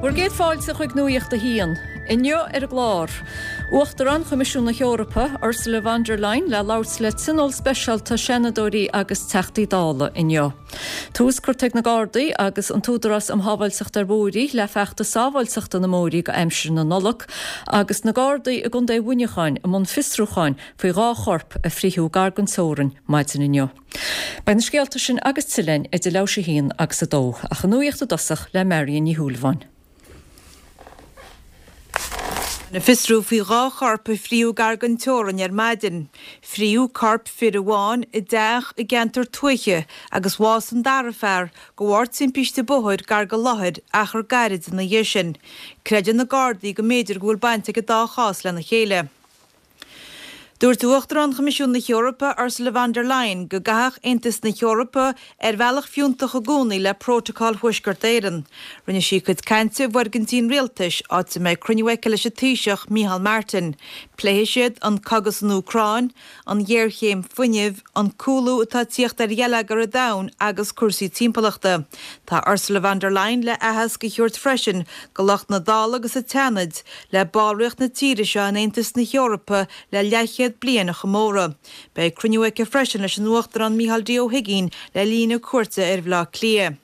Bhur gcéad fáilte chuig Nuacht a hAon. Inniu ar an gclár, Uachtarán Choimisiún na hEorpa, Ursula von der Leyen le labhairt le tionól speisialta Seanadóirí agus Teachtaí Dála inniu. Tús curtha ag na Gardaí agus an tÚdarás um Shábháilteacht ar Bhóithre le feachtas sábháilteachta na mbóithre go aimsir na Nollag agus na Gardaí i gContae Mhuineacháin i mbun fiosrúcháin faoi dha chorp a frítheadh gar don teorainn maidin inniu. Beidh na scéalta sin agus tuilleadh againn idir leathuair théis a haon agus a dó, ach an nuacht i dtosach le Marion Ní Shúilleabháin. Fiosrú faoi dha chorp a frítheadh gar don teorainn ar maidin. Frítheadh corp fir amháin i dteach i gceantar tuaithe agus bhásaigh an dara fear de bharr timpiste bóthair gar don láthair achar gairid ina dhiaidh sin. Creideann na Gardaí go mb'fhéidir go bhfuil baint ag an dá chás lena chéile. Dúirt Uachtarán Choimisiún na hEorpa, Ursula von der Leyen, go gcaithfeadh Aontas na hEorpa ar bhealach fiúntach i gcónaí le Prótacal Thuaisceart Éireann. Rinne sí a cuid cainte i bhfoirgintí an rialtais, áit a mbeidh cruinniú aici leis an Taoiseach, Micheál Martin. Pléifidh siad an cogadh san Úcráin, an ghéarchéim fuinnimh, an cúlú atá ag tíocht ar gheilleagar an domhain agus cúrsaí timpeallachta. Tá Ursula von der Leyen le aitheasc a thabhairt freisin go lucht na Dála agus an tSeanaid le ballraíocht na tíre seo in Aontas na hEorpa le leathchéad bliain a chomóradh. Beidh cruinniú aici freisin leis an Uachtarán Micheál D. Ó hUigínn le linn a cuairte ar Bhaile Átha Cliath.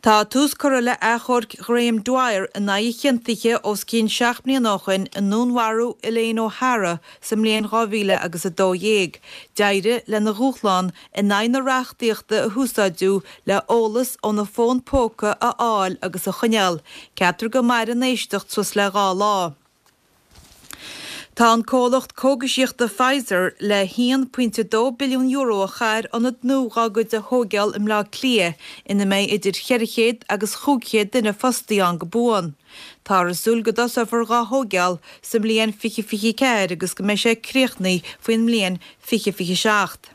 Tá tús curtha le achomharc Ghraham Dwyer in aghaidh a chiontaithe os cionn 7 mbliana ó shin i ndúnmharú Elaine O'Hara sa mbliain 2000 agus 12. D'éirigh lena dhúshlán in aghaidh na reachtaíochta a húsáideadh le eolas óna fón póca a fháil agus a choinneáil. Ceaptar go mairfidh an éisteacht suas le dha lá. Tá an comhlacht cógaisíochta Pfizer le €1.2 billiún a chaitheamh ar ionad nua dhá gcuid a thóigeáil i mBleá Cliath ina mbeidh idir 400 agus 500 duine fostaithe ann go buan. Táthar ag súil go dtosófar dhá thóigeáil sa mbliain 2024 agus go mbeidh sé críochnaithe faoin mbliain 2027.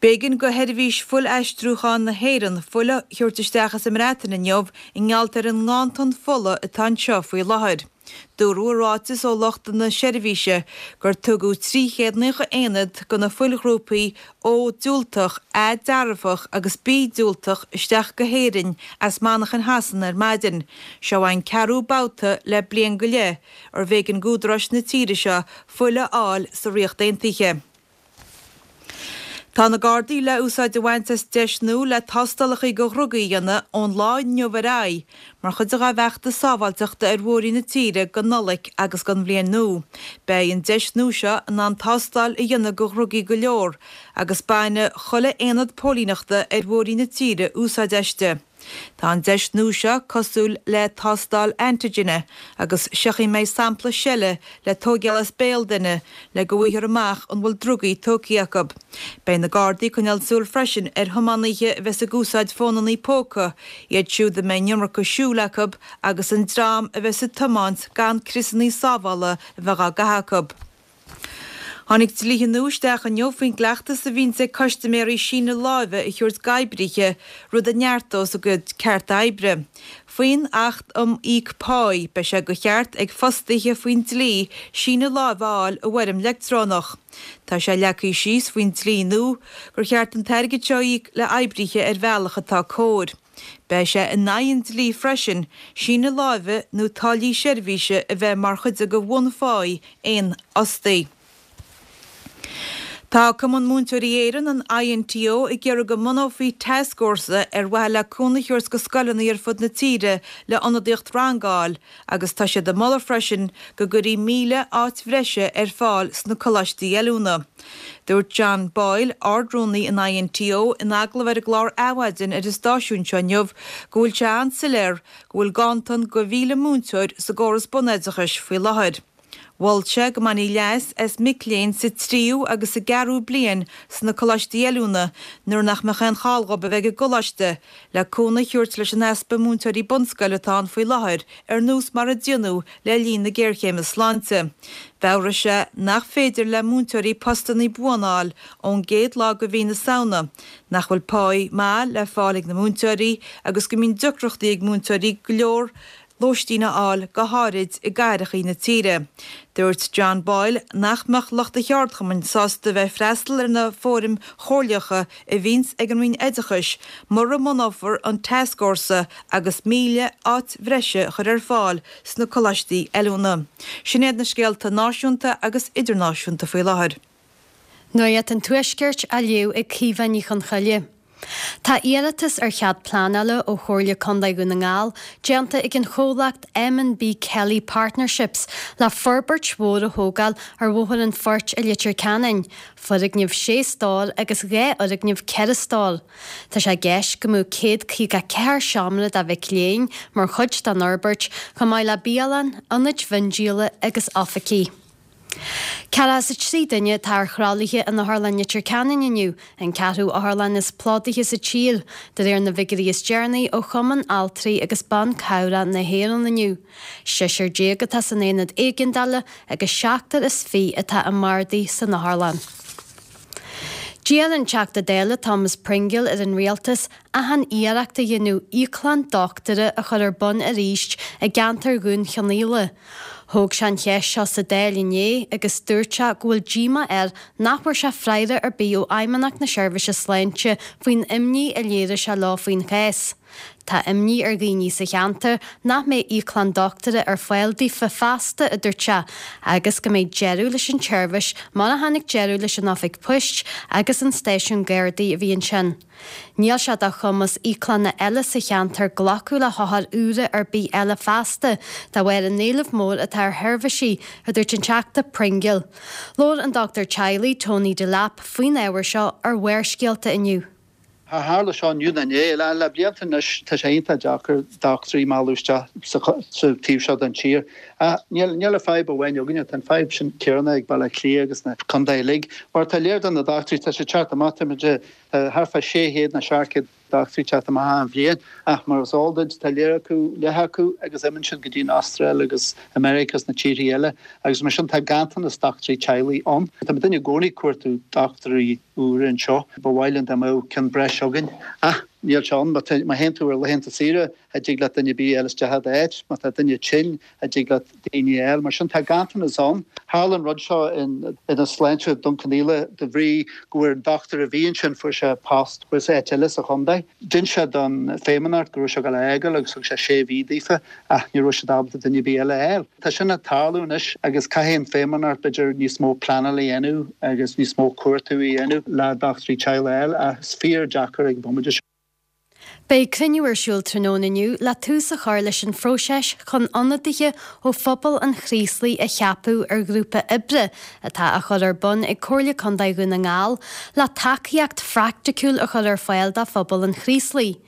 B'éigean go Sheirbhís Fuil-Aistriúcháin na hÉireann fuil a thabhairt isteach as an mBreatain inniu i ngeall ar an nganntan fola atá anseo faoi láthair. Dúradh i ráiteas ó lucht na seirbhíse gur tugadh 390 aonad de na fuilghrúpaí O diúltach, A dearfach agus B diúltach isteach go hÉirinn as Manchain Shasana ar maidin. Seo an ceathrú babhta le bliain go leith arbh éigean d'údaráis na tíre seo fuil a fháil sa Ríocht Aontaithe. Tá na Gardaí le úsáid a bhaint as deis nua le tástálacha do dhrugaí a dhéanamh ón lá inniu ar aghaidh mar chuid dá bhfeachtas sábháilteachta ar bhóithrí na tíre don Nollaig agus don Bhliain Nua. Beidh an deis nua seo in ann tástáil a dhéanamh do dhrugaí go leor agus bainfidh chuile aonad póilíneachta ar bhóithrí na tíre úsáid aisti. Tá an deis nua seo cosúil le tástáil antigine agus seo chaoi a mbeidh sampla seile le tóigeáil as béal duine le go bhfaighfear amach an bhfuil drugaí tógtha acu. Beidh na Gardaí ag coinneáil súil freisin ar thiománaithe a bheas ag úsáid fónannaí póca, iad siúd a mbeidh an iomarca siúil acu agus an dream a bheas ag tiomáint gan criosannaí sábhála a bheith á gcaitheamh acu. Tháinig dlíthe nua isteach inniu faoin gcleachtas a bhíonns ag custaiméirí síneadh láimhe a thabhairt d'oibrithe, rud a neartós a gcuid cearta oibre. Faoin Acht um Íoc Páí, beidh sé de cheart ag fostaithe faoin dlí síneadh láimhe a fháil i bhfoirm leictreonach. Tá sé leagtha síos faoin dlí nua gur cheart an t-airgead seo a íoc le oibrithe ar bhealach atá cóir. Beidh sé in aghaidh an dlí freisin síneadh láimhe nó táillí seirbhíse a bheith mar chuid de bhunpháí aon fhostaí. Tá Cumann Múinteoirí Éireann, an INTO, ag iarraidh go mbunófaí tascfhórsa ar mhaithe le cúnamh a thabhairt go scoileanna ar fud na tíre le ionadaíocht ranga a fháil agus tá siad ag moladh freisin go gcuirfí 1,000 áit bhreise ar fáil sna coláistí oiliúna. Dúirt John Boyle, Ard-Rúnaí an INTO, in agallamh ar an gclár Adhmhaidin ar an stáisiún seo inniu go bhfuil sé an-soiléir go bhfuil ganntan de 1,000 múinteoir sa gcóras bunoideachais faoi láthair. Mhol sé go mbainfí leas as mic léinn sa tríú agus sa gceathrú bliain sna coláistí oiliúna nuair nach mbeadh aon chall dhóibh a bheith ag an gcoláiste, le cúnamh a thabhairt leis an easpa múinteoirí bunscoile atá ann faoi láthair, ar nós mar a déanadh le linn na géarchéime sláinte. Mheabhraigh sé nach féidir le múinteoirí postanna buana a fháil ón gcéad lá de mhí na Samhna, nach bhfuil páí maith le fáil ag na múinteoirí agus go mbíonn deacrachtaí ag múinteoirí go leor. lóistín a fháil go háirid i gcathrachaí na tíre. Dúirt John Boyle nach mbeadh lucht a cheardchumainn sásta bheith ag freastal ar na fóraim chomhairleacha a bhíonns ag an Roinn Oideachais mura mbunófar an tascfhórsa agus 1,000 áit bhreise a chur ar fáil sna coláistí oiliúna. Sin iad na scéalta náisiúnta agus idirnáisiúnta faoi láthair. Nuacht an Tuaiscirt á léamh ag Caoimhe Ní Chonchoille. Tá iarratas ar chead pleanála ó Chomhairle Contae Dhún na nGall déanta ag an chomhlacht M&B Kelly Partnerships le forbairt mhór a thógáil ar Bhóthar an Phoirt i Leitir Ceanainn, foirgneamh sé stór agus 2 fhoirgneamh 4 stór. Tá sé i gceist go mbeadh 154 seomra do mhic léinn mar chuid den fhorbairt, chomh maith le bialann, ionaid mhiondíola agus oifigí. 43 duine atá ar thralaithe in Otharlann Leitir Ceanainn inniu, an ceathrú otharlann is plódaithe sa tír, de réir na bhfigiúirí is deireanaí ó Chumann Altraí agus Ban Cabhrach na hÉireann inniu. Seisear déag atá san aonad éigeandála agus seachtar is fiche atá i mbardaí san otharlann. D'iarr an Teachta Dála Thomas Pringle ar an Rialtas achan iarracht a dhéanamh íoclann dochtúra a chur ar bun arís i gceantar Dhún Chonaill. Thóg sé an cheist seo sa Dáil inné agus dúirt sé go bhfuil díomá air nach bhfuair sé freagra ar bith ó Fheidhmeannacht na Seirbhíse Sláinte faoin imní a léirigh sé leo faoin chás. Tá imní ar dhaoine sa cheantar nach mbeidh íoclann dochtúra ar fáil daofa feasta, a dúirt sé, agus go mbeidh deireadh leis an tseirbhís mar a tháinig deireadh leis an oifig poist agus an stáisiún Gardaí a bhí ansin. Níl sé de chumas íoclanna eile sa cheantar glacadh le hothair úra ar bith eile feasta de bharr an éilimh mór atá ar sheirbhísí, a dúirt an Teachta Pringle. Labhair an dochtúir teaghlaigh, Tony Delap, faoin ábhar seo ar Bharrscéalta inniu. Tharla seo inniu nó inné. Le blianta anois tá sé iontach deacair dochtúirí a mhealladh isteach sa taobh seo den tír. Ach níl an fadhb amháin againne, tá an fadhb sin céanna ag Baile Átha Cliath agus na contaetha uilig. Mar tá léir do na dochtúirí, tá sé teacht amach, tá muid thart fá 600 nó 700 dochtúirí teacht amach achan bhliain. Ach mar is eol duit, tá léir acu, leath acu agus imíonn siad go dtí an Astráil agus America agus na tíorthaí eile. Agus mar sin tá ganntanas dochtúirí teaghlaigh ann. Tá muidinne i gcónaí ag cuartú dochtúirí úra anseo. Ba mhaith linn dá mbeadh ceann breis againn. Ach níl sé ann. Má théann tú ar laethanta saoire, cha dtig leat duine ar bith a fháil isteach i d'áit. Má tá duine tinn, cha dtig leat daoine a fháil. Mar sin tá ganntanas ann. Tharla an rud seo in Ionad Sláinte Dún Cionnaola de bhrí go bhfuair an dochtúir a bhí ansin, fuair sé post thuas áit eile sa chontae. D'inis sé don Feidhmeannacht go raibh sé ag dul a fhágáil agus thug sé sé mhí daofa ach ní raibh siad ábalta duine ar bith eile a fháil. Tá sin ag tarlú anois agus caithfidh an Feidhmeannacht b'fhéidir níos mó pleanáil a dhéanamh agus níos mó cuartú a dhéanamh le dochtúirí teaghlaigh a fháil ach is fíor deacair ag an bhomaite seo. Beidh cruinniú ar siúl tráthnóna inniu le tús a chur leis an phróiseas chun ionadaithe ó phobal an Chraoslaigh a cheapadh ar ghrúpa oibre atá á chur ar bun ag Comhairle Contae Dhún na nGall le tacaíocht phraiticiúil a chur ar fáil do phobal an Chraoslaigh.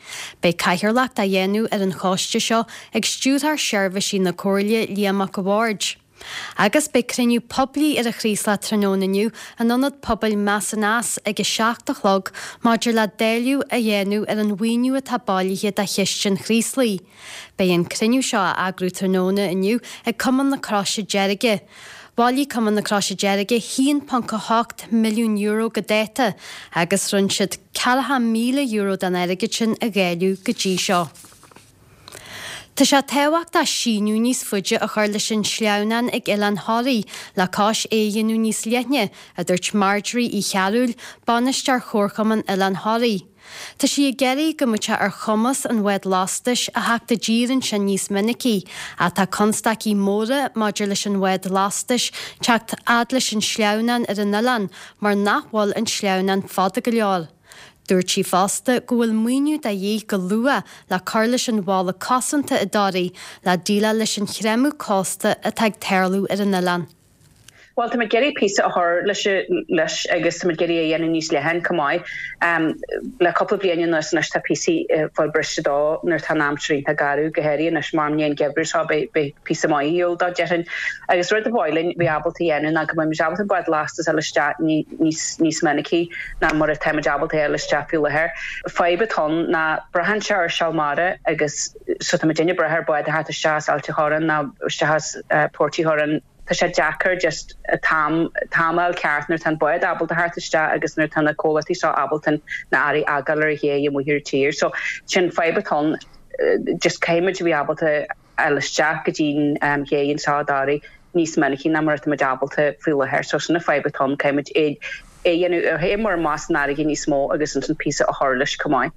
Beidh cathaoirleacht á dhéanamh ar an choiste seo ag Stiúrthóir Seirbhísí na Comhairle, Liam Mac a' Bhaird. Agus beidh cruinniú poiblí ar an Chraoslach tráthnóna inniu in Ionad Pobail Meas ag a 7 a chlog maidir le dáileadh a dhéanamh ar an mhaoiniú atá bailithe do Chiste an Chraoslaigh. Beidh an cruinniú seo á eagrú tráthnóna inniu ag Cumann na Croise Deirge. Bhailigh Cumann na Croise Deirge €1.8 milliún go dáta agus rinne siad €40,000 den airgead sin a dháileadh go dtí seo. Tá sé tábhachtach síneadh níos faide a chur leis an sleamhnán ag Oileán Thoraí le cois é a dhéanamh níos leithne, a dúirt Marjorie Uí Chearúil, Bainisteoir Chomharchumann Oileán Thoraí. Tá sí ag iarraidh go mbeadh sé ar chumas an bhád lastais a theacht i dtír ansin níos minicí, ach tá constaicí móra maidir leis an bhád lastais teacht fhad leis an sleamhnán ar an oileán mar nach bhfuil an sleamhnán fada go leor. Dúirt sí fosta go bhfuil maoiniú de dhíth go luath le cur leis an bhalla cosanta i dToraigh le déileáil leis an chreimeadh cósta atá ag tarlú ar an oileán. Bhuel, táimid ag iarraidh píosa a chur leis leis agus táimid ag iarraidh é a dhéanamh níos leithne chomh maith. Le cúpla bliain anuas anois tá píosaí ag fáil briste dó nuair atá an aimsir iontach garbh, go háirithe anois mar i ndiaidh an gheimhridh seo beidh beidh píosa maith ar shiúl dó déarfainn. Agus rud a ba mhaith linn bheith ábalta a dhéanamh ná go mbeimid ábalta an bád lastais a fháil isteach níos níos minicí. ná mar atáimid ábalta a fháil isteach faoi láthair. Fadhb atá ann ná braitheann sé ar seal mara agus so tá muidinne ag brath ar bád a theacht isteach as Ailt a' Chorráin nó isteach as Port Uí Churráin. Tá sé deacair just an t-am t-am a fháil ceart nuair atá an bád ábalta theacht isteach agus nuair atá na comhlachtaí seo ábalta na earraí a fhágáil ar an ché amuigh ar an tír. So sin fadhb atá ann just caithfimid a bheith ábalta. fháil isteach go dtí'n ché anseo i dToraigh níos minicí ná mar atá muid ábalta faoi láthair. So sin an fadhb atá ann, caithfidh muid é a dhéanamh a théamar amach san fharraige níos mó agus ansin píosa a chur leis chomh maith.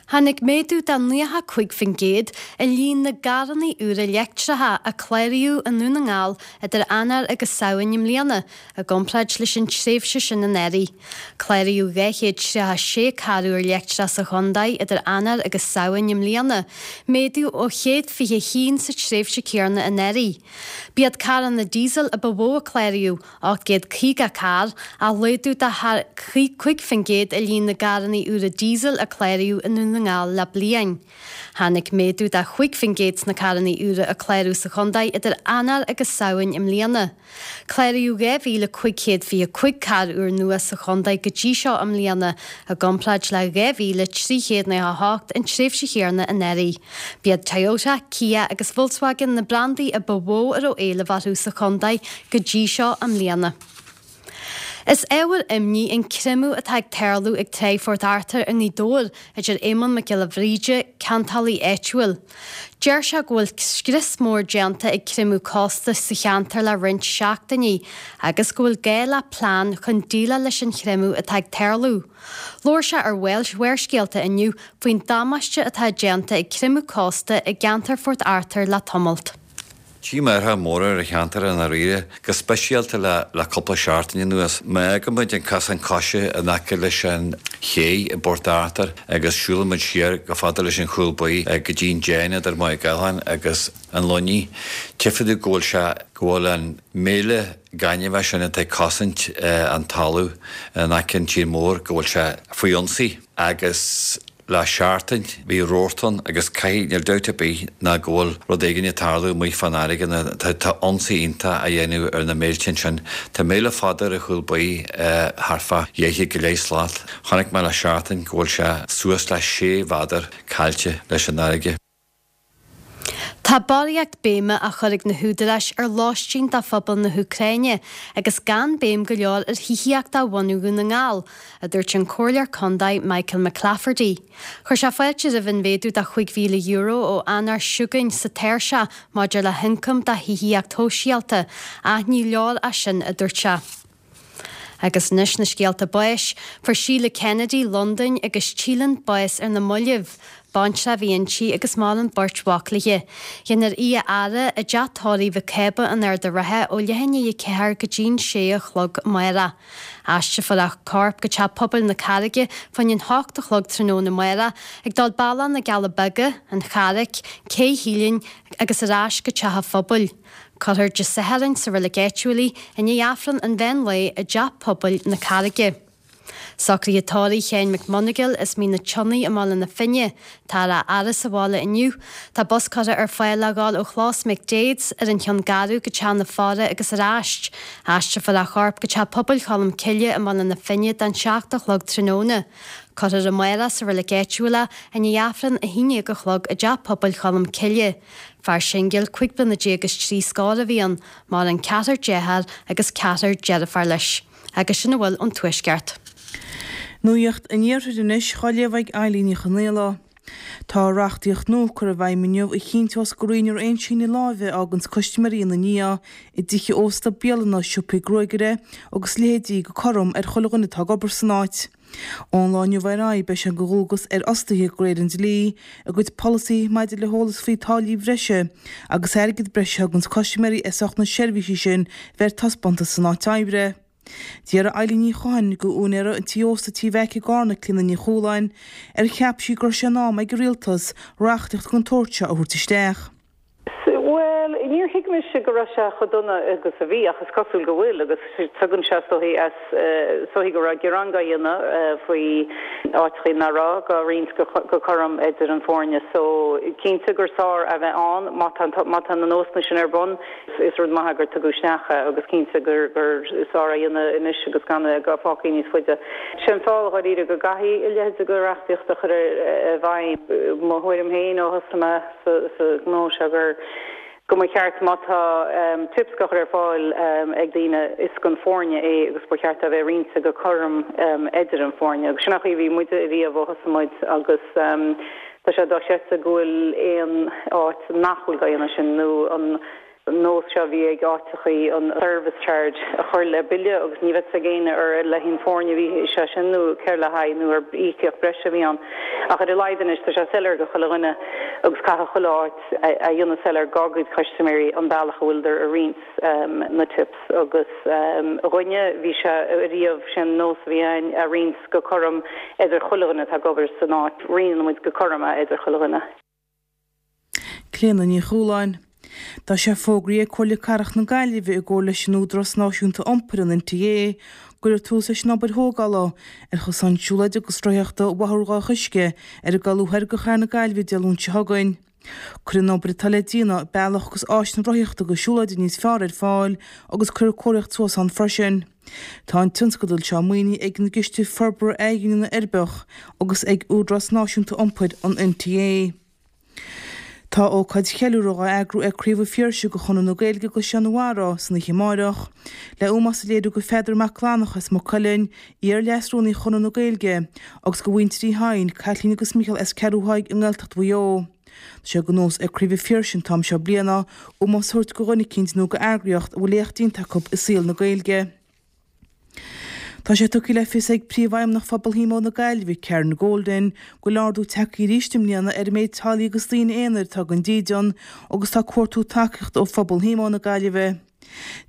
Tháinig méadú de 95% i líon na gcarranna úra leictreacha a cláraíodh i nDún na nGall idir Eanáir agus Samhain i mbliana i gcomparáid leis an tréimhse sin anuraidh. Cláraíodh 236 carr úr leictreach sa chontae idir Eanáir agus Samhain i mbliana, méadú ó 121 sa tréimhse céanna anuraidh. B'iad carranna díosail a ba mhó a cláraíodh, 850 carr, ach laghdú de thar 5% i líon na gcarranna úra díosail a cláraíodh i nDún na nGall le bliain. Tháinig méadú de 5% sna carranna úra a cláraíodh sa chontae idir Eanáir agus Samhain i mbliana. Cláraíodh 2,525 carr úr nua sa chontae go dtí seo i mbliana, i gcomparáid le 2,398 an tréimhse chéanna anuraidh. B'iad Toyota, Kia agus Volkswagen na brandaí a ba mhó a raibh éileamh orthu sa chontae go dtí seo i mbliana. Is ábhar imní an creimeadh atá ag tarlú ag Tráigh Phort Arthur i nGaoth Dobhair, a deir Éamonn Mac Giolla Bhríde, ceantálaí áitiúil. Deir sé go bhfuil scrios mór déanta ag creimeadh cósta sa cheantar le roinnt seachtainí agus go bhfuil gá le plean chun déileáil leis an chreimeadh atá ag tarlú. Labhair sé ar Bharrscéalta inniu faoin damáiste atá déanta ag creimeadh cósta i gceantar Phort Arthur le tamalt. Tchím athruithe móra ar an cheantar i ndáiríre, go speisialta le le cúpla seachtain anuas. Má fhágann muid an cosán coise in aice leis an ché i bPort Arthur agus siúlann muid siar chomh fada leis an Chúl Buí go dtí an déan idir Maigh Cholmáin agus an Luinnigh, tchífidh tú go bhfuil sé, go bhfuil an méile gainimhe sin atá ag cosaint an talamh in aice an tír mór, go bhfuil sé faoi ionsaí agus. Le seachtain bhí rabharta ann agus caithfidh, níl dabht ar bith ná go bhfuil rud éigin ag tarlú amuigh fán fharraige nó tá ionsaí iontach á dhéanamh ar na méilte ansin. Tá méile fada ar an Chúl Buí thart fá dheich go leith slat. Chonaic mé le seachtain go bhfuil sé suas le sé mhéadar caillte leis an fharraige. Tá barraíocht béime á chur ag na húdaráis ar lóistín do phobal na hÚcráine agus gan béim go leor ar thithíocht do bhunadh Dhún na nGall, a dúirt an Comhairleoir Contae Michael McClafferty. Chuir sé fáilte roimh an mhéadú de €5,000 ó Eanáir seo chugainn sa tairseach maidir le hioncam do thithíocht shóisialta, ach ní leor é sin, a dúirt sé. Agus anois na scéalta báis. Fuair Síle Kennedy, Londain, agus Teelin bás ar na mallaibh. Baintreach a bhí inti agus maireann beirt mhac léi. Déanfar í a fhaire i dteach tórraimh Mhic Cába in Ard a' Rátha ó leath i ndiaidh a 4 go dtí'n 6 a chlog amárach. Aistrefar a corp go Teach Pobail na Carraige fá choinne an hocht a chlog tráthnóna amárach, ag dul bealach na gCealla Beaga, an Charraic, Cé Shíleann agus ar ais go Teach a' Phobail. Cuirfear Dé Sathairn sa reilig áitiúil í i ndiaidh Aifreann an mheán lae i dTeach Pobail na Carraige. Socruithe tórraimh Sheáin McMonagall as Mín na Sionnaigh i mBaile na Finne. Táthar á fhaire sa bhaile inniu. Tá bus curtha ar fáil le dhul ó Chlós McDaid's ar an Cheann Garbh go Teach na Faire agus ar ais. Aistrefar a chorp go Teach Pobail Cholm Cille i mBaile na Finne don 7 a chlog tráthnóna. Cuirfear amárach sa reilig áitiúil é i ndiaidh Aifreann 11 a chlog i dTeach Pobail Cholm Cille. Fear singil, 15 bliana is trí scór a bhí ann, maireann ceathrar dearthár agus ceathrar deirfiúr leis. Agus sin a bhfuil ón Tuaisceart. Nuacht an Iarthair anois á léamh ag Eilín Ní Chonaola. Tá reachtaíocht nua curtha i bhfeidhm inniu a chinnteos go roinnfear aon síneadh láimhe a fháganns custaiméirí ina ndiaidh i dtithe ósta, bialanna, siopaí gruagaire agus leithéidí go cothrom ar chuile dhuine atá ag obair san áit. Ón lá inniu ar aghaidh, beidh sé de dhualgas ar fhostaithe de réir an dlí, a gcuid polasaithe maidir le heolas faoi táillí breise agus airgead breise a thuganns custaiméirí as ucht na seirbhísí sin bheith ar taispeántas san áit oibre. D'fhiafraigh Eilín Ní Chatháin de úinéara an tí ósta Tí Mheaic i gCarna, Clíona Ní Chualáin, ar cheap sí go raibh sé in am ag an Rialtas reachtaíocht den tsórt seo a thabhairt isteach. Bhuel, níor thuig mise go raibh sé chomh dona agus a bhí, ach is cosúil go bhfuil, agus tagann sé is dóichí as, is dóichí go raibh gearán dhá dhéanamh faoi áiteachaí nach raibh dhá roinnt go cothrom idir an foirne. So, cinnte gur sár a bheith ann má tá, má tá na nósanna sin ar bun, is rud maith é gur tugadh isteach é agus cinnte gur, gur sár a dhéanamh anois agus gan é fágtha níos faide. Sé an fáth, dháiríre, go gcaithfidh a leithéid de reachtaíocht a chur i bhfeidhm, mo thuairim féin ó thosaigh mé, sa ghnó seo gur go mba cheart má tá tips á chur ar fáil ag daoine is don foirne é agus ba cheart é a bheith roinnte go cothrom idir an foirne agus sin an chaoi a bhí muide ariamh ó thosaigh muid agus. Tá sé dochreidte go bhfuil aon áit nach bhfuil dhá dhéanamh sin nó an nós seo a bhí ag áiteachaí an service charge a chur le bille agus ní bheadh fhios ag éinne ar le haghaidh an foirne a bhí sé sin nó céard le haghaidh nó ar íocaíocht breise a bhí ann. Ach ar a laghad anois tá sé soiléir go chuile dhuine agus caithfidh chuile áit a dhéanamh soiléir dhá gcuid custaiméirí an bealach a bhfuileadar a roinnt na tips agus dhúinne bhí sé ariamh sin nós a bhí againn a roinnt go cothrom idir chuile dhuine atá ag obair san áit. Roinneann muid go cothrom é idir chuile dhuine. Clíona Ní Chualáin. Tá sé fógraithe ag Comhairle Cathrach na Gaillimhe i gcomhar leis an Údarás Náisiúnta Iompair, an NTA, go gcuirfear tús leis an obair thógála ar chosán siúlóide agus rothaíochta Bhóthar Dhomhach Uisce ar an gCalú Thoir de Chathair na Gaillimhe Dé Luain seo chugainn. Cuirfidh an obair atá le déanamh bealach agus áiseanna rothaíochta agus siúlóide níos fearr ar fáil agus cuirfear comharthaíocht suas ann freisin. Tá an tionscadal seo maoinithe ag an gCiste Forbartha Athghiniúna Uirbeach agus ag Údarás Náisiúnta Iompair an NTA. Tá ócáid cheiliúrtha á eagrú ag Craobh an Phiarsaigh de Chonradh na Gaeilge i gCaisleán an Bharraigh san oíche amáireach, le ómós a léiriú go Pheadar Mac Fhlannchadha as Maigh Cuilinn, iar-Leas-Rúnaí Chonradh na Gaeilge, agus go mhuintir Uí Sheighin, Caitlín agus Mícheál as Ceathrú Thaidhg i nGaeltacht Mhaigh Eo. Tá sé de nós ag Craobh an Phiarsaigh an t-am seo bliana ómós a thabhairt go dhuine eicínt nó go eagraíocht a bhfuil éacht déanta acu i saol na Gaeilge. Tá sé tugtha le fios ag Príomhfheidhmeannach Phobal Shíomó na Gaillimhe, Karen Golden, go bhfuil ardú tagtha arís i mbliana ar an méid teaghlaigh agus daoine aonair atá gan dídean agus tá ag cuartú tacaíochta ó Phobal Shíomó na Gaillimhe.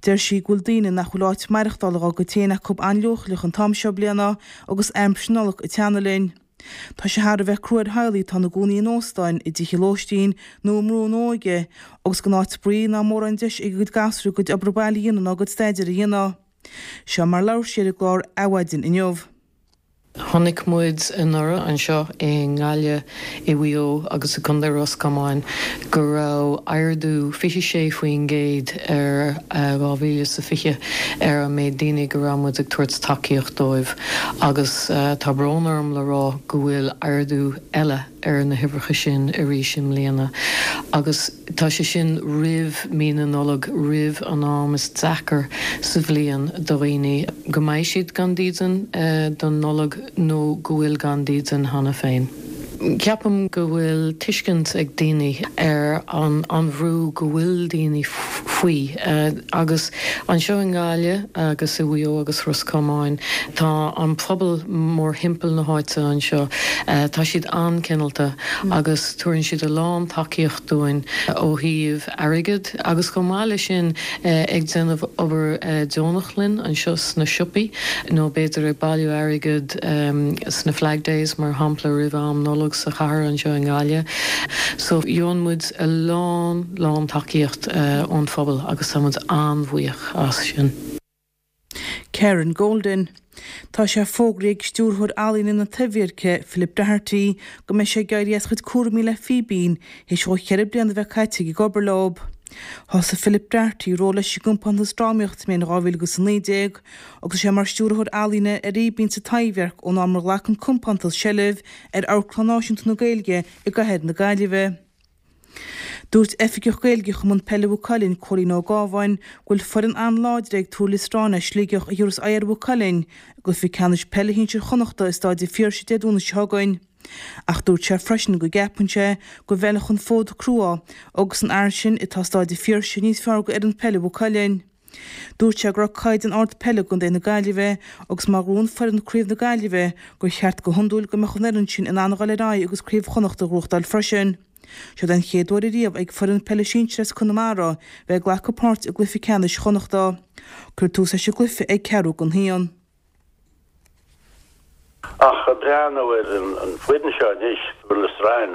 Deir sí go bhfuil daoine nach bhfuil áit maireachtála dhá gcuid féin acu an-leochaileach an t-am seo bliana agus aimsir na Nollag ag teannadh linn. Tá sé thar a bheith crua ar theaghlaigh atá ina gcónaí in óstáin, i dtithe lóistín nó i mbrú na óige, agus gan áit spraoi ná mórán deis ag a gcuid gasúir a gcuid obair baile a dhéanamh ná a gcuid staidéir a dhéanamh. Seo mar labhair sí ar an gclár Adhmhaidin inniu. Chonaic muid anuraidh anseo i nGaillimh, i Mhaigh Eo agus i gContae Ros Comáin go raibh ardú 26% ar 2020 ar an méid daoine go raibh muid ag tabhairt tacaíocht dóibh agus tá brón orm le rá go bhfuil ardú eile ar na huimhreacha sin arís i mbliana agus tá sé sin roimh mí na Nollag, roimh an am is deacair sa bhliain do dhaoine, go mbeidh siad gan dídean don Nollaig nó go bhfuil gan dídean cheana féin. Ceapaim go bhfuil tuiscint ag daoine ar an an bhrú go bhfuil daoine faoi agus anseo i nGaillimh agus i Mhaigh Eo agus Ros Comáin tá an pobal mórthimpeall na háite anseo, tá siad an-cineálta agus tabharann siad a lán tacaíocht dúinn ó thaobh airgid agus chomh maith leis sin ag déanamh obair deonach linn anseo sna siopaí nó b'fhéidir ag bailiú airgead sna Flag Days mar shampla roimh am Nollag sa chathair anseo i nGaillimh. So gheobhann muid a lán lán tacaíocht ón phobal agus tá muid an-bhuíoch as sin. Karen Golden. Tá sé fógraithe ag Stiúrthóir Ealaíne na Taibhdheirce, Philip Doherty, go mbeidh sé ag éirí as a chuid cúraimí le Fíbín théis dhó cheithre bliana a bheith caite aige ag obair leo. Thosaigh Philip Doherty ról leis an gcompántas drámaíochta sa mbliain 2019 agus tá sé mar Stiúrthóir Ealaíne ar Fhíbín sa Taibhdhearc ón am ar ghlac an compántas seilbh ar Amharclann Náisiúnta na Gaeilge i gcathair na Gaillimhe. Dúirt Oifigeach Gaeilge Chumann Peile Mhaigh Cuilinn, Cóilín Ó Gábháin, go bhfuil foireann an-láidir ag Tuar Liostráin as Sligeach a thabharfas aghaidh ar Mhaigh Cuilinn i gcluiche ceannais peile shinsir Chonnachta i Stáid an Phiarsaigh Dé Domhnaigh seo chugainn. Ach dúirt sé freisin go gceapann sé go bhfeilfeadh an fód crua agus an fhearann sin atá Stáid an Phiarsaigh níos fearr go fhoireann peile Mhaigh Cuilinn. Dúirt sé go raibh caighdeán ard peile i gcontae na Gaillimhe agus má ghnóthaíonn foireann Craobh na Gaillimhe gur cheart go hiondúil go mbeadh an fhoireann sin in ann a dhul ar aghaidh agus Craobh Chonnacht a ghnóthachtáil freisin. Seo den chéad uair ariamh ag foireann peile sinsir as Conamara bheith ag glacadh páirt i gcluiche ceannais Chonnachta. Cuirfear tús leis an gcluiche ag ceathrú don haon. Ach ag breathnú ar an bhfoireann seo anois, Tuar Loistreáin,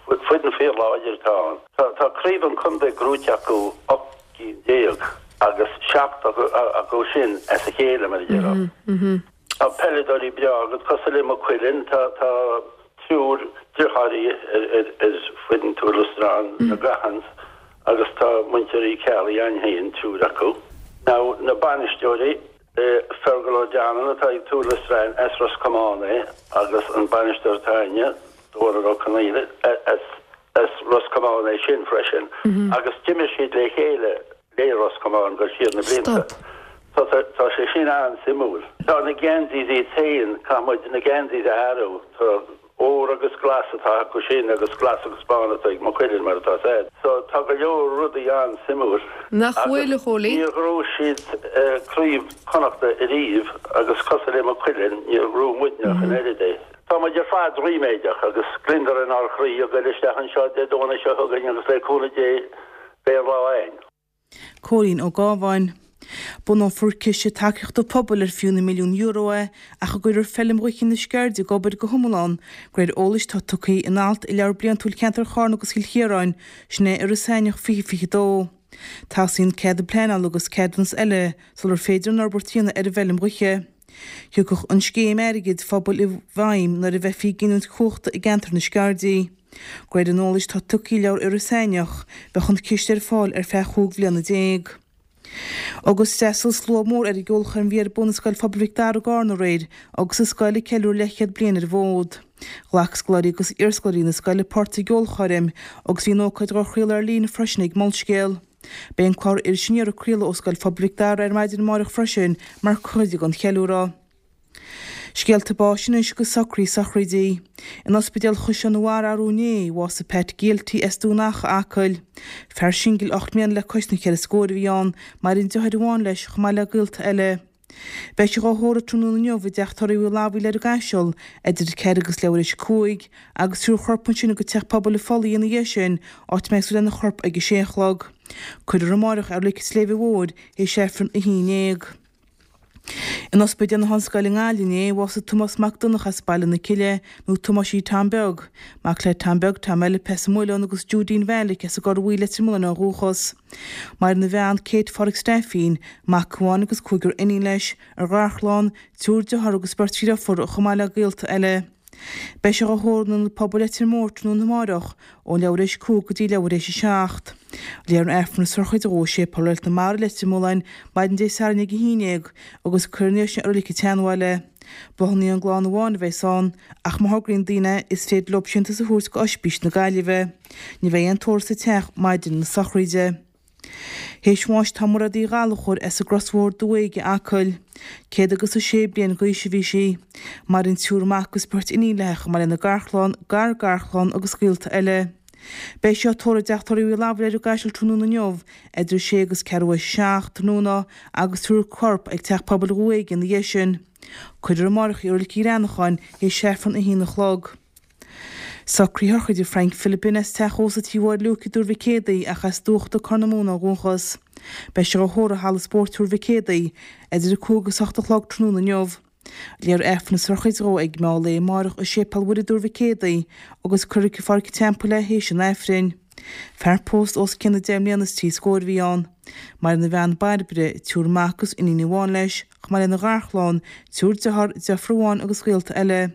foireann fíorláidir atá ann. Tá craobh an chontae gnóite acu 18 cinn agus 7 acu sin as a chéile, mar a déarfá. Tá peileadóirí breá agat cosúil le Maigh Cuilinn, tá triúr deartháirí ar foireann Tuar Loistreáin, na Gaughans, agus tá muintir Uí Cheallaigh ann féin, triúr acu. Now na bainisteoirí, Fergal O'Donnell atá ag Tuar Loistreáin as Ros Comáin é agus an bainisteoir atá againne, Dónal Ó Conaola, as Ros Comáin é sin freisin agus d'imir siad le chéile le Ros Comáin go siar na blianta. So tá sé sin an-suimiúil. Tá na geansaithe iad féin, caithfidh muid na geansaithe a athrú. Tá. Ór agus glas atá acu sin agus glas agus bán atá ag Maigh Cuilinn mar atá said. So tá go leor rudaí an-suimiúil. Nach bhfuil, a Chóilín? Níor ghnóthaigh siad craobh Chonnachta ariamh agus cosúil le Maigh Cuilinn níor ghnóthaigh muidne ach an oiread é. Tá muid ar fad ríméadach agus gliondar inár chroí ag goil isteach anseo Dé Domhnaigh seo chugainn agus le cúnamh Dé beidh an lá a'ainn. Cóilín Ó Gábháin. Bunófar ciste tacaíochta pobail ar fiú na milliúin euro é ach a gcuirfear Feilm Dhúiche na Sceirde ag obair go hiomlán, de réir eolais atá tugtha in alt i Leabhar Bliantúil Cheantar Charna agus Chill Chiaráin, sin é Iorras Aithneach 2022. Teastaíonn cead pleanála agus ceadúnas eile sular féidir an fhorbairt a dhéanamh ar an bhfeilm dhúiche. Thiocfadh an scéim airgid phobail i bhfeidhm nuair a bheifí ag giniúint cumhachta i gceantar na Sceirdí. De réir an eolais atá tugtha i Leabhar Iorras Aithneach, bheadh an ciste ar fáil ar feadh 15 bhliana. Agus d'fhreastail slua mór ar an gceolchoirm a bhí ar bun i Scoil Phobail Mhic Dara i gCarna aréir agus an scoil ag ceiliúradh leathchéad bliain ar an bhfód. Ghlac scoláirí agus iarscoláirí na scoile páirt sa gceolchoirm agus bhí an ócáid dhá chraoladh ar líne freisin ag Molscéal. Beidh an clár Iris Aniar ag craoladh ó Scoil Phobail Mhic Dara ar maidin amáireach freisin mar chuid den cheiliúradh. Scéalta báis anois agus socruithe sochraidí. In Ospidéal Chaisleán an Bharraigh arú inné, bhásaigh Pat Gielty as Dún Acha, Acaill. Fear singil 8 mbliana le cois na cheithre scóir a bhí ann, maireann deartháir amháin leis chomh maith le gaolta eile. Beidh sé dhá thórramh tráthnóna inniu i dteach tórraimh Uí Labhaí, Leitir an gCaisil, idir 4 agus leathuair théis 5, agus tabharfar a chorp ansin go Teach Pobail an Phollaigh ina dhiaidh sin, áit a mbeidh súil lena chorp ag a sé a chlog. Cuirfear amáireach é i Reilig an tSléibhe Mhóir théis Aifreann 11. In Ospidéal na hOllscoile i nGaillimh inné, bhásaigh Tomás Mac Donncha as Baile na Cille, nó Tomáisí Tom Beag, mac le Tom Beag Tom Eilp as an Muileann agus Judeen Mheailic as an gCorr Bhuí Leitir Mealláin ó dhúchas. Maireann a bhean, Kate Phádraig Staifín, mac amháin agus cúigear iníon leis, a gharchlann, triúr dearthár agus beirt dheirfiúr, chomh maith le gaolta eile. Beidh sé dhá thórramh in Ionad Pobail Leitir Móir tráthnóna amáireach ón leathuair théis 5 go dtí leathuair théis 7. Léifear an Aifreann is sochraide dhó i Séipéal Reilig na Mara, Leitir Mealláin, maidin Dé Sathairn ag 11 agus cuirfear ina dhiaidh sin i Reilig an tSeanbhaile. Bláthanna ón gclann amháin a bheas ann ach má thograíonn daoine é is féidir leo síntiús a thabhairt go Oispís na Gaillimhe. Ní bheidh aon tórramh sa teach maidin na sochraide. Théis bháis tá Mairéad Uí Ghallchóir as an gCros Mhór Dumha Éige, Acaill. 106 bliain d'aois a bhí sí. Maireann triúr mac agus beirt iníon léi chomh maith lena garchlann, gar-garchlann agus gaolta eile. Beidh sí á tórramh i dteach tórraimh Uí Labhraí Leitir an gCaisil tráthnóna inniu idir 6 agus ceathrú théis 7 tráthnóna agus tabharfar a corp ag Teach Pobail Dhumha Éige ina dhiaidh sin. Cuirfear amáireach í i Reilig Uí Ghreanacháin théis Aifreann 1 a chlog. Socruithe sochraide Frank Philipin as teach ósta Tí Mháire Luke i dTuar Mhic Éadaigh ach as Dúchta, Corr na Móna ó dhúchas. Beidh sé dhá thórramh i Halla Spóirt Thuar Mhic Éadaigh idir 5 agus 8 a chlog tráthnóna inniu. Léifear Aifreann na sochraide dhó ag meán lae amáireach i Séipéal Mhuire i dTuar Mhic Éadaigh agus cuirfear go Pháirc an Teampaill é théis an Aifrinn. Fear pósta os cionn deich mbliana is trí scóir a bhí ann. Maireann a bhean Bairbre, triúr mac agus iníon amháin leis, chomh maith lena gharchlann, triúr dearthár, deirfiúr amháin agus gaolta eile.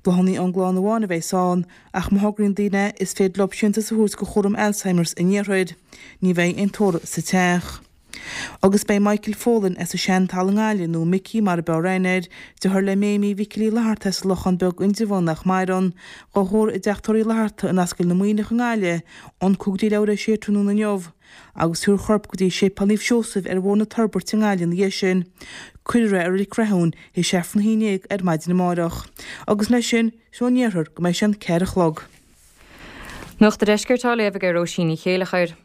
Bláthanna ón gclann amháin a bheas ann, ach má thograíonn daoine é, is féidir leo síntiús a thabhairt go Chúram Alzheimer's an Iarthair. Ní bheidh aon tórramh sa teach. Agus beidh Michael Folan as an Seantalamh i nGaillimh, nó Micí mar a b'fhearr aithne air, deartháir le Méimí Mhicil Uí Fhlatharta as an Lochán Beag Indreabhán nach maireann, dhá thórramh i dteach tórraimh Uí Fhlatharta in Ascaill na Muimhneach i nGaillimh, ón 5 go dtí leathuair théis a sé tráthnóna inniu. agus tabharfar a chorp go dtí Séipéal Naomh Seosamh ar Bhóthar na Toirbhirte i nGaillimh ina dhiaidh sin. Cuirfear é i Reilig Rathún théis Aifreann a haon déag ar maidin amárach. Agus leis sin, seo ón iarthar go mbeidh sé an 4 a chlog. Nuacht an Deiscirt á léamh ag Róisín Ní Chéileachair.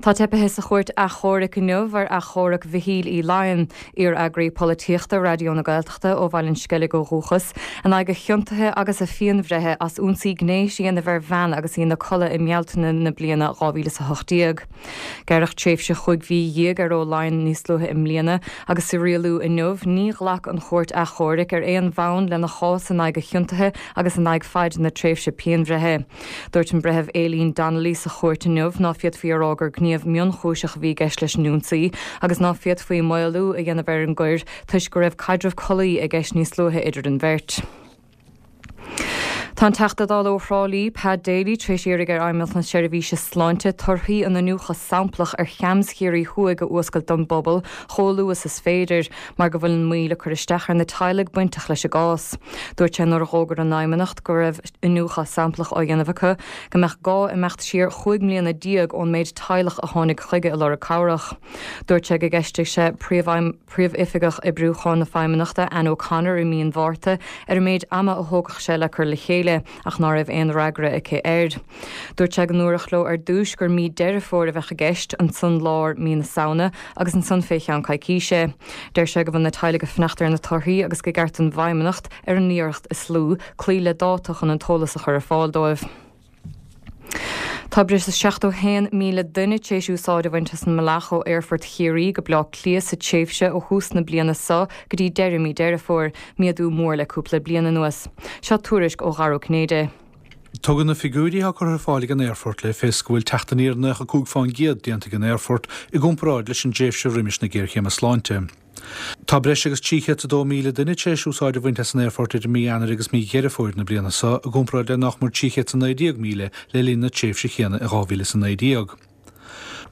Tá teipithe sa Chúirt Achomhairc inniu ar achomharc Mhichíl Uí Laighin, iar-eagraí polaitíochta Raidió na Gaeltachta ó Bhaile an Sceilg ó dhúchas, in aghaidh a chiontaithe agus a phianbhreithe as ionsaí gnéis a dhéanamh ar bhean agus í ina codladh i mBealtaine na bliana 2018. Gearradh tréimhse chúig mhí dhéag ar Ó Laighin níos luaithe i mbliana agus sa rialú inniu ní ghlac an Chúirt Achomhairc ar aon bhonn lena chás in aghaidh a chiontaithe agus in aghaidh faid na tréimhse pianbhreithe. Dúirt an Breitheamh Aileen Donnelly sa chúirt inniu ná féadfaí a rá gur gníomh mionchúiseach a bhí i gceist leis an ionsaí agus ná féadfaí maolú a dhéanamh ar an gcoir toisc go raibh caidreamh collaí i gceist níos luaithe idir an bheirt. Tá an Teachta Dála ó Thrá Lí, Pat Daly, tar éis iarraidh ar Fheidhmeannacht na Seirbhíse Sláinte torthaí an iniúchadh samplach ar CHAMS Chiarraí Thuaidh a fhuascailt don bpobal chomh luath is is féidir, mar go bhfuil an mhoill ag cur isteach ar na teaghlaigh bainteach leis an gcás. Dúirt sé nuair a dh'fhógair an Fheidhmeannacht go raibh iniúchadh samplach á dhéanamh acu, go mbeadh gá imeacht siar 15 mbliana ón méid teaghlach a tháinig chuige ag lorg cabhrach. Dúirt sé go gceistigh sé Príomhoifigeach Oibriúcháin na Feidhmeannachta, Anne O'Connor i mí an Mhárta ar an méid ama a thógfadh sé le cur le chéile ach ná raibh aon fhreagra aici air. Dúirt sé go ndúradh leo ar dtúis gur mí Deireadh Fómhair a bheadh i gceist, ansan lár mí na Samhna agus ansan fé cheann coicíse. Deir sé go bhfuil na teaghlaigh ag fanacht ar na torthaí agus gur ceart don bhFeidhmeannacht, ar an iarracht is lú, cloí le dáta chun an t-eolas a chur ar fáil dóibh. Tá breis is 71,000 duine tar éis úsáid a bhaint as an mbealach ó Aerfort Chiarraí go Bleá Cliath sa tréimhse ó thús na bliana seo go dtí deireadh mí Deireadh Fómhair, méadú mór le cúpla bliain anuas. Seo tuairisc ó Dhara Ó Cinnéide. Tugann na figiúirí atá curtha ar fáil ag an aerfort le fios go bhfuil teacht aniar 95% déanta ag an aerfort i gcomparáid leis an dtréimhse roimis na géarchéime sláinte. Tá breis agus 302,000 duine tar éis úsáid a bhaint as an aerfort idir mí Eanáir agus mí Dheireadh Fómhair na bliana seo, i gcomparáid le nách mór 319,000 le linn na tréimhse chéanna in 2019.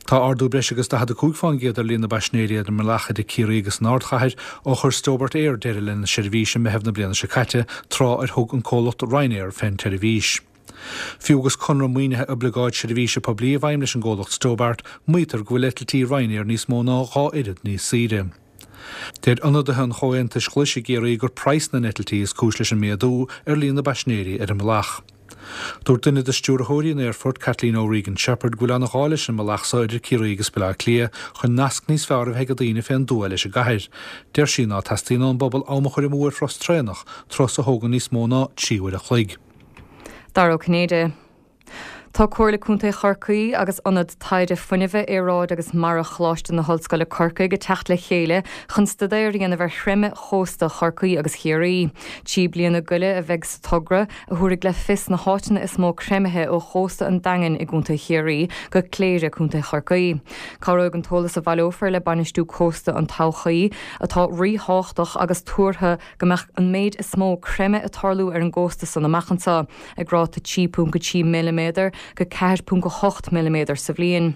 Tá ardú breis agus 45% ar líon na bpaisinéirí ar an mbealach idir Ciarraí agus an ardchathair ó chuir Stobart Air deireadh lena seirbhís i Meitheamh na bliana seo caite, tráth ar thug an comhlacht Ryanair fén tseirbhís. Fiú agus conradh maoinithe Oibleagáid Seirbhíse Poiblí i bhfeidhm leis an gcomhlacht Stobart, maítear go bhfuil eitiltí Ryanair níos mó ná 2 oiread níos saoire. Deir ionadaithe an Chomhaontais Ghlais i gCiarraí gur praghas na n-eitiltí is cúis leis an méadú ar líon na bpaisinéirí ar an mbealach. Dúirt duine de stiúrthóirí an aerfoirt, Kathleen O'Regan Sheppard, go bhfuil an-ghá leis an mbealach so idir Ciarraí agus Baile Átha Cliath chun nasc níos fearr a bheith ag daoine fén dtuath leis an gcathair. Deir sí ná teastaíonn ón bpobal am a chur amú ar thuras traenach, turas a thógann níos mó ná 3 uair a chloig. Dara Ó Cinnéide. Tá Comhairle Contae Chorcaí agus Ionad Taighde Fuinnimhe, Aeráide agus Mara Choláiste na hOllscoile Corcaigh ag teacht le chéile chun staidéar a dhéanamh ar chreimeadh chósta Chorcaí agus Chiarraí. Trí bliana goile a bheidh sa togra, a thabharfaidh le fios na háiteanna is mó creimithe ó chósta an Daingin i gContae Chiarraí go Cléire, Contae Chorcaí. Cabhróidh an t-eolas a bhaileofar le bainistiú cósta an todhchaí, atá ríthábhachtach agus tuartha go mbeadh an méid is mó creimeadh ag tarlú ar an gcósta san amach anseo, ag ráta 3.3 milliméadar go 4.8 milliméadar sa bhliain.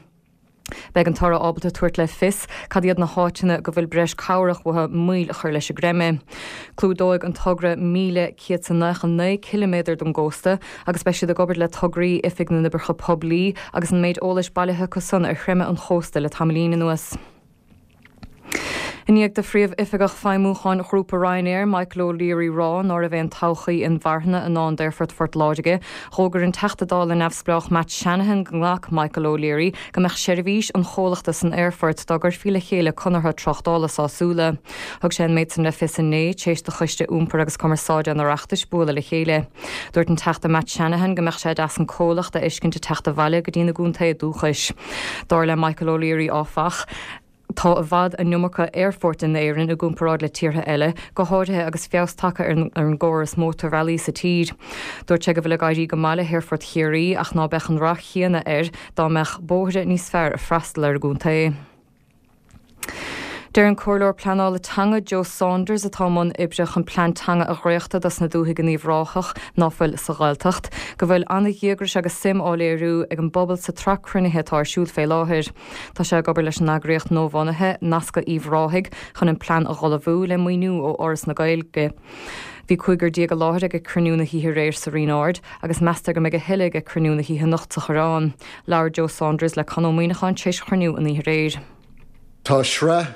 Beidh an toradh ábalta tabhairt le fios cad iad na háiteanna go bhfuil breis cabhrach uathu moill a chur leis an gcreimeadh. Clúdóidh an togra 1,199 ciliméadar den gcósta agus beidh siad ag obair le tograí Oifig na nOibreacha Poiblí agus an méid eolais bailithe acu san ar chreimeadh an chósta le tamaillín anuas. I ndiaidh do Phríomh-Oifigeach Feidhmiúcháin Ghrúpa Ryanair, Michael O'Leary rá ná raibh aon todhchaí inmharthana i ndán d'Aerfort Phort Láirge, dh'fhógair an Teachta Dála neamhspleách Matt Shanahan go nglac Michael O'Leary go mbeadh seirbhís an chomhlachta san aerfort dá gcuirfí le chéile conartha tráchtála sásúla. Thug sé an méid san le fios inné, tar éis do Choiste Iompair agus Cumarsáide an Oireachtais bualadh le chéile. Dúirt an Teachta Matt Shanahan go mbeadh sé deas an comhlacht a fheiscint ag teacht abhaile go dtí na gcontaetha dúchais. Dar le Michael O'Leary, áfach, tá i bhfad an iomarca aerfoirt in Éirinn i gcomparáid le tíortha eile, go háirithe agus feabhas tagtha ar an gcóras mótarbhealaí sa tír. Dúirt sé go bhfuil ag éirí go maith le hAerfort Chiarraí ach ná beadh an rath chéanna air dá mbeadh bóithre níos fearr ag freastal ar an gcontae. Deir an Comhairleoir Pleanála Teanga Joe Saunders, atá i mbun oibre chun plean teanga a dhréachtadh dos na dúthaigh in Uíbh Ráthach ná fuil sa Ghaeltacht, go bhfuil an-dhíograis agus suim á léiriú ag an bpobal sa tsraith cruinnithe atá ar siúl fé láthair. Tá sé ag obair leis an eagraíocht nuabhunaithe, Nascadh Uíbh Ráthaigh, chun an plean a dh'ullmhú, le maoiniú ó Fhoras na Gaeilge. Bhí cúigear déag i láthair ag cruinniú na hoíche aréir sa Rinn Ard agus meastar go mbeidh a thuilleadh ag cruinniú na hoíche anocht sa Choireán. Labhair Joe Saunders le Conn Ó Muíneacháin tar éis chruinniú an oíche aréir. Tá sraith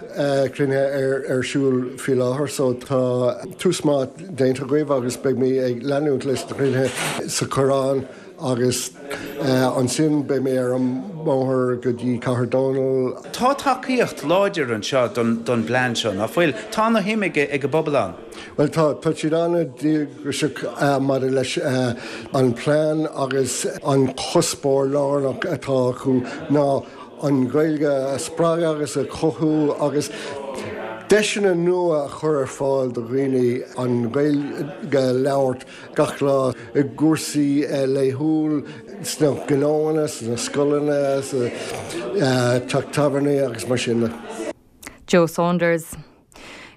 cruinnithe ar siúl faoi láthair so tá tús maith déanta agaibh agus beidh mé ag leanúint leis na cruinnithe sa Choireán agus ansin beidh mé ar an mbóthar go dtí Cathair Dónall. Tá tacaíocht láidir anseo don bplean seo, nach bhfuil? Tá ana shuim ag an bpobal ann. Bhuel tá, tá siad an-díograiseach maidir leis an bplean agus an cuspóir lárnach atá acu ná an Ghaeilge a spreagadh agus a chothú agus deiseanna nua a chur ar fáil do dhaoine an Ghaeilge a labhairt gach lá i gcúrsaí laethúil sna gnóanna, sna scoileanna, sa teach tábhairne agus mar sin de. Joe Saunders.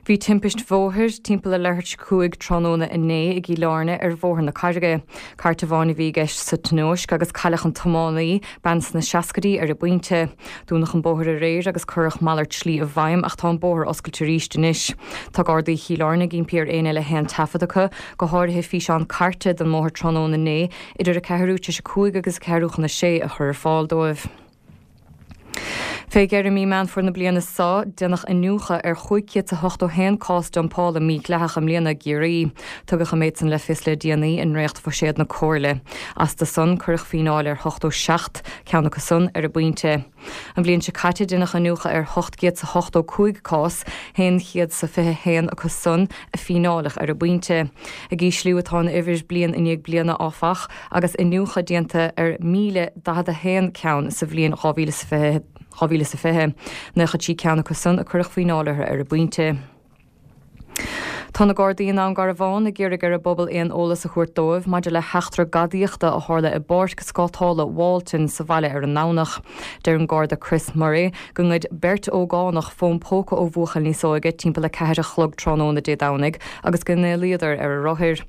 Bhí timpist bhóthair timpeall a leathuair tar éis a 5 tráthnóna inné i gCill Airne ar Bhóthar na Carraige. Cairt amháin a bhí i gceist sa tionóisc agus cailleadh an tiománaí, bean sna seascaidí, ar an bpointe. Dúnadh an bóthar aréir agus cuireadh malairt slí i bhfeidhm ach tá an bóthar oscailte arís anois. Tá Gardaí Chill Airne ag impí ar éinne le haon taifead acu, go háirithe físeán cairte den mbóthar tráthnóna inné idir a ceathrú tar éis a 5 agus a ceathrú chun a sé a chur ar fáil dóibh. Fé dheireadh mí Meán Fómhair na bliana seo, déanadh iniúchadh ar 581 cás dumpála mídhleathach i mbliana i gCiarraí. Tugadh an méid san le fios le déanaí i ndréacht-bhuiséad na Comhairle. Astu san, cuireadh fíneáil ar 87 ceann acu san ar an bpointe. An bhliain seo caite, déanadh iniúchadh ar 885 cás, 121 acu san a fíneáileadh ar an bpointe. Ag ísliú atá an uimhir bliain i ndiaidh bliana, áfach. agus iniúchadh déanta ar 1,041 ceann sa bhliain 2020, 93 ceann acu san a cuireadh fíneáil orthu ar an bpointe. Tá na Gardaí i nDún Garbhán ag iarraidh ar an bpobal aon eolas a thabhairt dóibh maidir le heachtra gadaíochta a tharla i bPáirc Scátála Walton sa bhaile ar an nDomhnach. Deir an Garda Chris Murray go ngoid beirt ógánach fón póca ó bhuachaill níos óige timpeall a 4 a chlog tráthnóna Dé Domhnaigh agus go n-éalaíodar ar a rothair.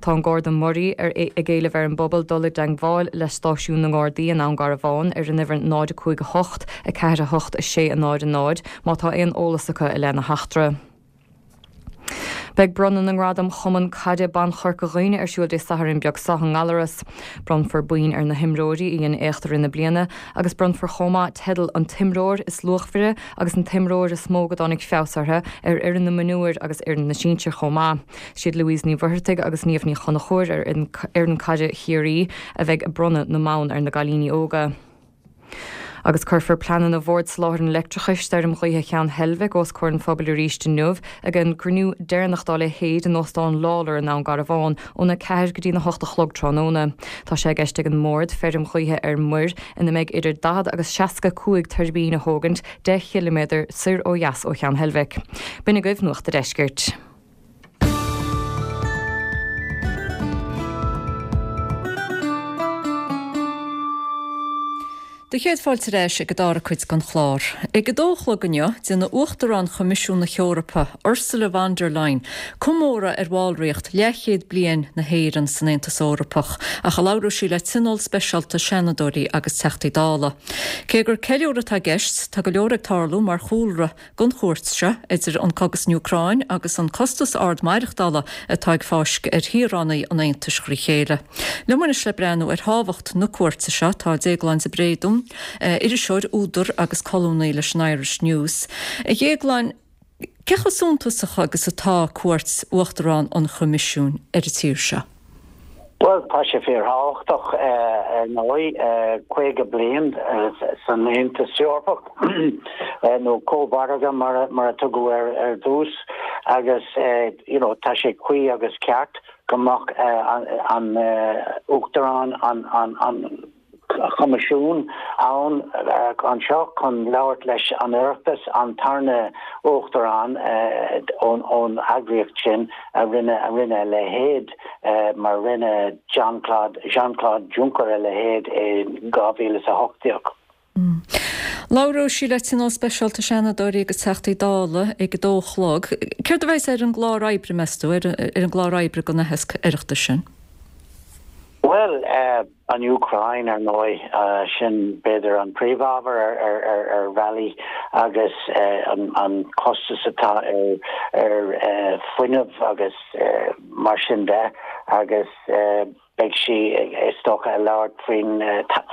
Tá an Garda Murray ar ag éileamh ar an bpobal dul i dteangmháil le stáisiún na nGardaí i nDún Garbhán ar an uimhir 0 5 8 4 8 6 0 0 má tá aon eolas acu i leith na heachtra. Beidh bronnadh na nGradam Chumann Caide Ban Chorca Dhuibhne ar siúl Dé Sathairn beag seo i nGallaras. Bronnfar boinn ar na himreoirí a dhein éacht i rith na bliana agus bronnfar chomh maith teidil an t-imreoir is luachmhaire agus an t-imreoir is mó go dtáinig feabhas orthu ar fhoireann na mionúir agus fhoireann na sinsear chomh maith. Siad Louise Ní Mhuircheartaigh agus Niamh Ní Chonchúir ar fhoireann caide Chiarraí a bheidh ag bronnadh na mbonn ar na gcailíní óga. Agus cuirfear pleananna Bhord Soláthair an Leictreachais d'fheirm ghaoithe Cheann Heilbhic os comhair an phobail arís inniu ag an gcruinniú deireanach dá leithéid in Óstán Lawlor i nDún Garbhán óna 4 go dtí na 8 a chlog tráthnóna. Tá sé i gceist ag an mBord feirm ghaoithe ar muir ina mbeidh idir 40 agus 65 tuirbín a thógaint 10 chiliméadar soir ó dheas ó Cheann Heilbhic. B'in agaibh Nuacht a' Deiscirt. Do chéad fáilte ar ais ag an dara cuid den chlár. Ag a dó a chlog inniu, déanfaidh Uachtarán Choimisiún na hEorpa, Ursula von der Leyen, comóradh ar bhallraíocht leathchéad bliain na hÉireann san Aontas Eorpach, ach a labhróidh sí le tionól speisialta Seanadóirí agus Teachtaí Dála. Cé gur ceiliúradh atá i gceist, tá go leor ag tarlú mar chúlra don chuairt seo, idir an cogadh san Úcráin agus an costas ard maireachtála atá ag fáisceadh ar shaoránaigh an Aontais thrí chéile. Liom anois le breathnú ar thábhacht na cuairte seo tá Déaglán de Bréadún, iriseoir, údar agus colúnaí leis an Irish News. A Dhéagláin, cé chomh suntasach agus atá cuairt Uachtarán an Choimisiúin ar an tír seo? Bhuel, tá sé fíorthábhachtach, ar ndóigh, 50 bliain san Aontas Eorpach, nó Cómhargadh mar a tugadh air ar dtús, agus you know tá sé cuí agus ceart go mbeadh an Uachtarán, an. Choimisiún ann anseo chun labhairt leis an Oireachtas, an tarna Uachtarán ón eagraíocht sin a rinne a rinne a leithéid, mar rinne Jean Claude Jean Claude Juncker a leithéid i 2018. Labhróidh sí le Tionól Speisialta Seanadóirí agus Teachtaí Dála ag a dó a chlog. Céard a bheas ar an gclár oibre, meas tú, ar an gclár oibre don aitheasc Oireachtais sin? Bhuel, an Úcráin, ar ndóigh, sin b'fhéidir an príomhábhar ar bhealaí agus an costas atá ar fuinneamh agus mar sin de agus beidh sí, is dócha, ag labhairt faoin,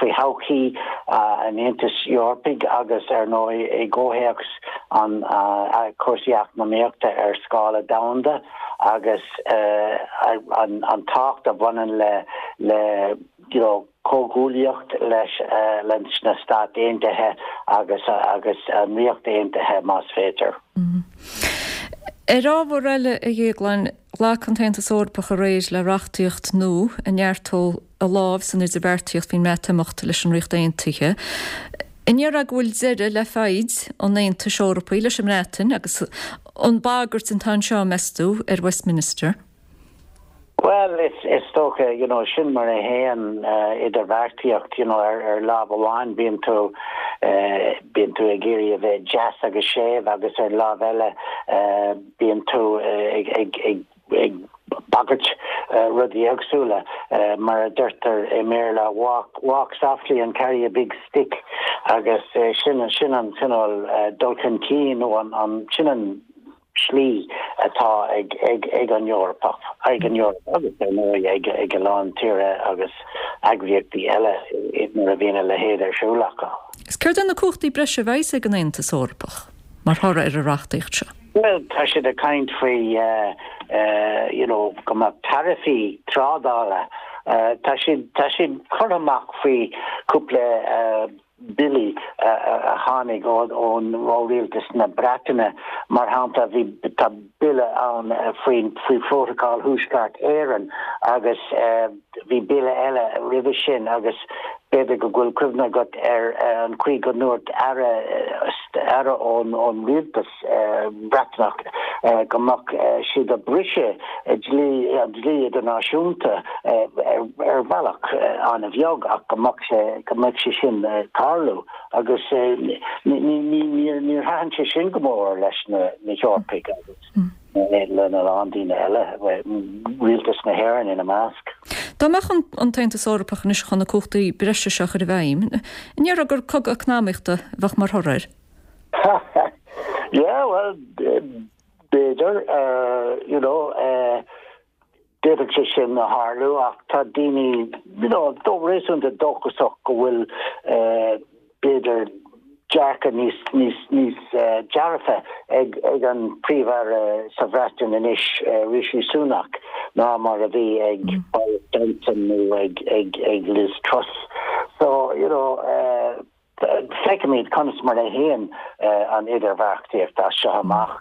faoi thodhchaí an Aontais Eorpaigh agus ar ndóigh i gcomhthéacs an cúrsaí eacnamaíochta ar scála domhanda. agus an tábhacht a bhaineann le le you know comhghuaillíocht leis leis na Stáit Aontaithe agus agus an Ríocht Aontaithe más féidir. Ar ábhar eile, a Dhéagláin, ghlac an tAontas Eorpach aréir le reachtaíocht nua a neartódh a lámh san idirbheartaíocht faoin mBreatimeacht leis an Ríocht Aontaithe. An ndéarfá go bhfuil deireadh le foighid an Aontais Eorpaigh leis an mBreatain agus an bagairt atá anseo, meas tú, ar Westminster? Bhuel, is dócha, you know, sin mar a théann idirbheartaíocht, you know, ar lámh amháin bíonn tú. Bíonn tú ag iarraidh a bheith deas agus séimh agus ar an lámh eile bíonn tú ag ag ag ag bagairt rudaí éagsúla. Mar a deirtear i mBéarla, walk walk softly and carry a big stick agus sin sin an cineál dul chun cinn nó an an sin an slí atá ag ag ag an Eoraip, ag an Eoraip agus ar ndóigh ag ag a lán tíortha agus eagraíochtaí eile nuair a bhíonn a leithéid ar siúl acu. Is céard é na cumhachtaí breise a bheas ag an Aontas Eorpach mar thoradh ar an reachtaíocht seo? Bhuel, tá siad ag caint faoi you know go mbeadh taraifí trádála, tá siad tá siad curtha amach faoi cúpla billí a tháinig ón ó rialtas na Breataine. Mar shampla, bhí tá bille ann faoin faoi Phrótacal Thuaisceart Éireann agus bhí bille eile roimhe sin agus b'fhéidir go bhfuil cuimhne agat ar an chaoi go ndúirt aire aire ón ón rialtas Breatnach go mbeadh siad ag briseadh dlí an dlí idirnáisiúnta ar bhealach an-bheag ach go mbeadh sé go mbeadh sé sin ag tarlú agus ní ní níor níor thaitin sé sin go mór leis na na hEorpaigh agus lena lán daoine eile, rialtas na hÉireann ina measc. Dá mbeadh an tAontas Eorpach anois chun na cumhachtaí breise seo a chur i bhfeidhm, an ndéarfá gur cogadh eacnamaíochta a bheadh mar thoradh air? Yeah, well, b'fhéidir, you know, d'fhéadfadh sé sin a tharlú ach tá daoine, you know, réasúnta dóchasach go bhfuil, b'fhéidir, dearcadh níos, níos, níos dearfa ag, ag an Príomh-Aire sa Bhreatain anois, Rishi Sunak, ná mar a bhí ag Boris Johnson nó ag, ag, ag Liz Truss. So, you know, Feicfimid conas mar a théann an idirbheartaíocht as seo amach.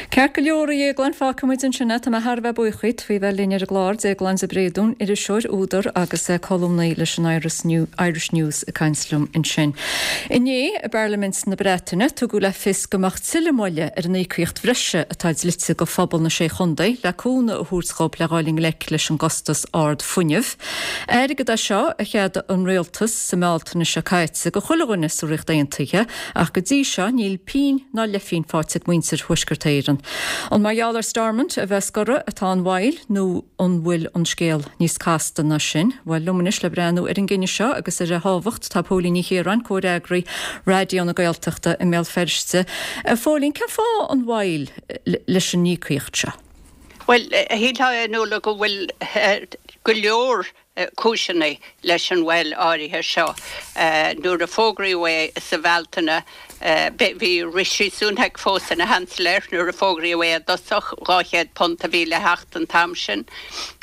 Ceart go leor, a Dhéagláin, fágfaidh muid ansin é. Tá mé thar a bheith buíoch díot faoi bheith linn ar an gclár. Déaglán de Bréadún, iriseoir, údar agus colúnaí leis an Irish News ag caint liom ansin. Inné, i bParlaimint na Breataine, tugadh le fios go mbeadh tuilleadh moille ar an íocaíocht bhreise atá dlite do phobal na Sé Chontae le cúnamh a thabhairt dhóibh le dhul i ngleic leis an gcostas ard fuinnimh. Airgead é seo a cheadaigh an rialtas sa mBealtaine seo caite do chuile dhuine sa Ríocht Aontaithe ach go dtí seo níl pingin ná leithphingin faighte ag muintir Thuaisceart Éireann. An mar gheall ar Stormont a bheith scortha atá an mhoill nó an bhfuil an scéal níos casta ná sin? Bhuel, liom anois le breathnú ar an gcinneadh seo agus ar a thábhacht tá Póilín Ní Chiaráin, comhfhreagraí Raidió na Gaeltachta i mBéal Feirste. A Phóilín, cén fáth an mhoill leis an íocaíocht seo? Bhuel, shílfeá a Nuala go bhfuil go leor cúiseanna leis an mhoill áirithe seo. Nuair a fógraíodh é sa Bhealtaine, bhí Rishi Sunak fós ina Sheansailéir nuair a fógraíodh é i dtosach, £200 a bhí le theacht an t-am sin.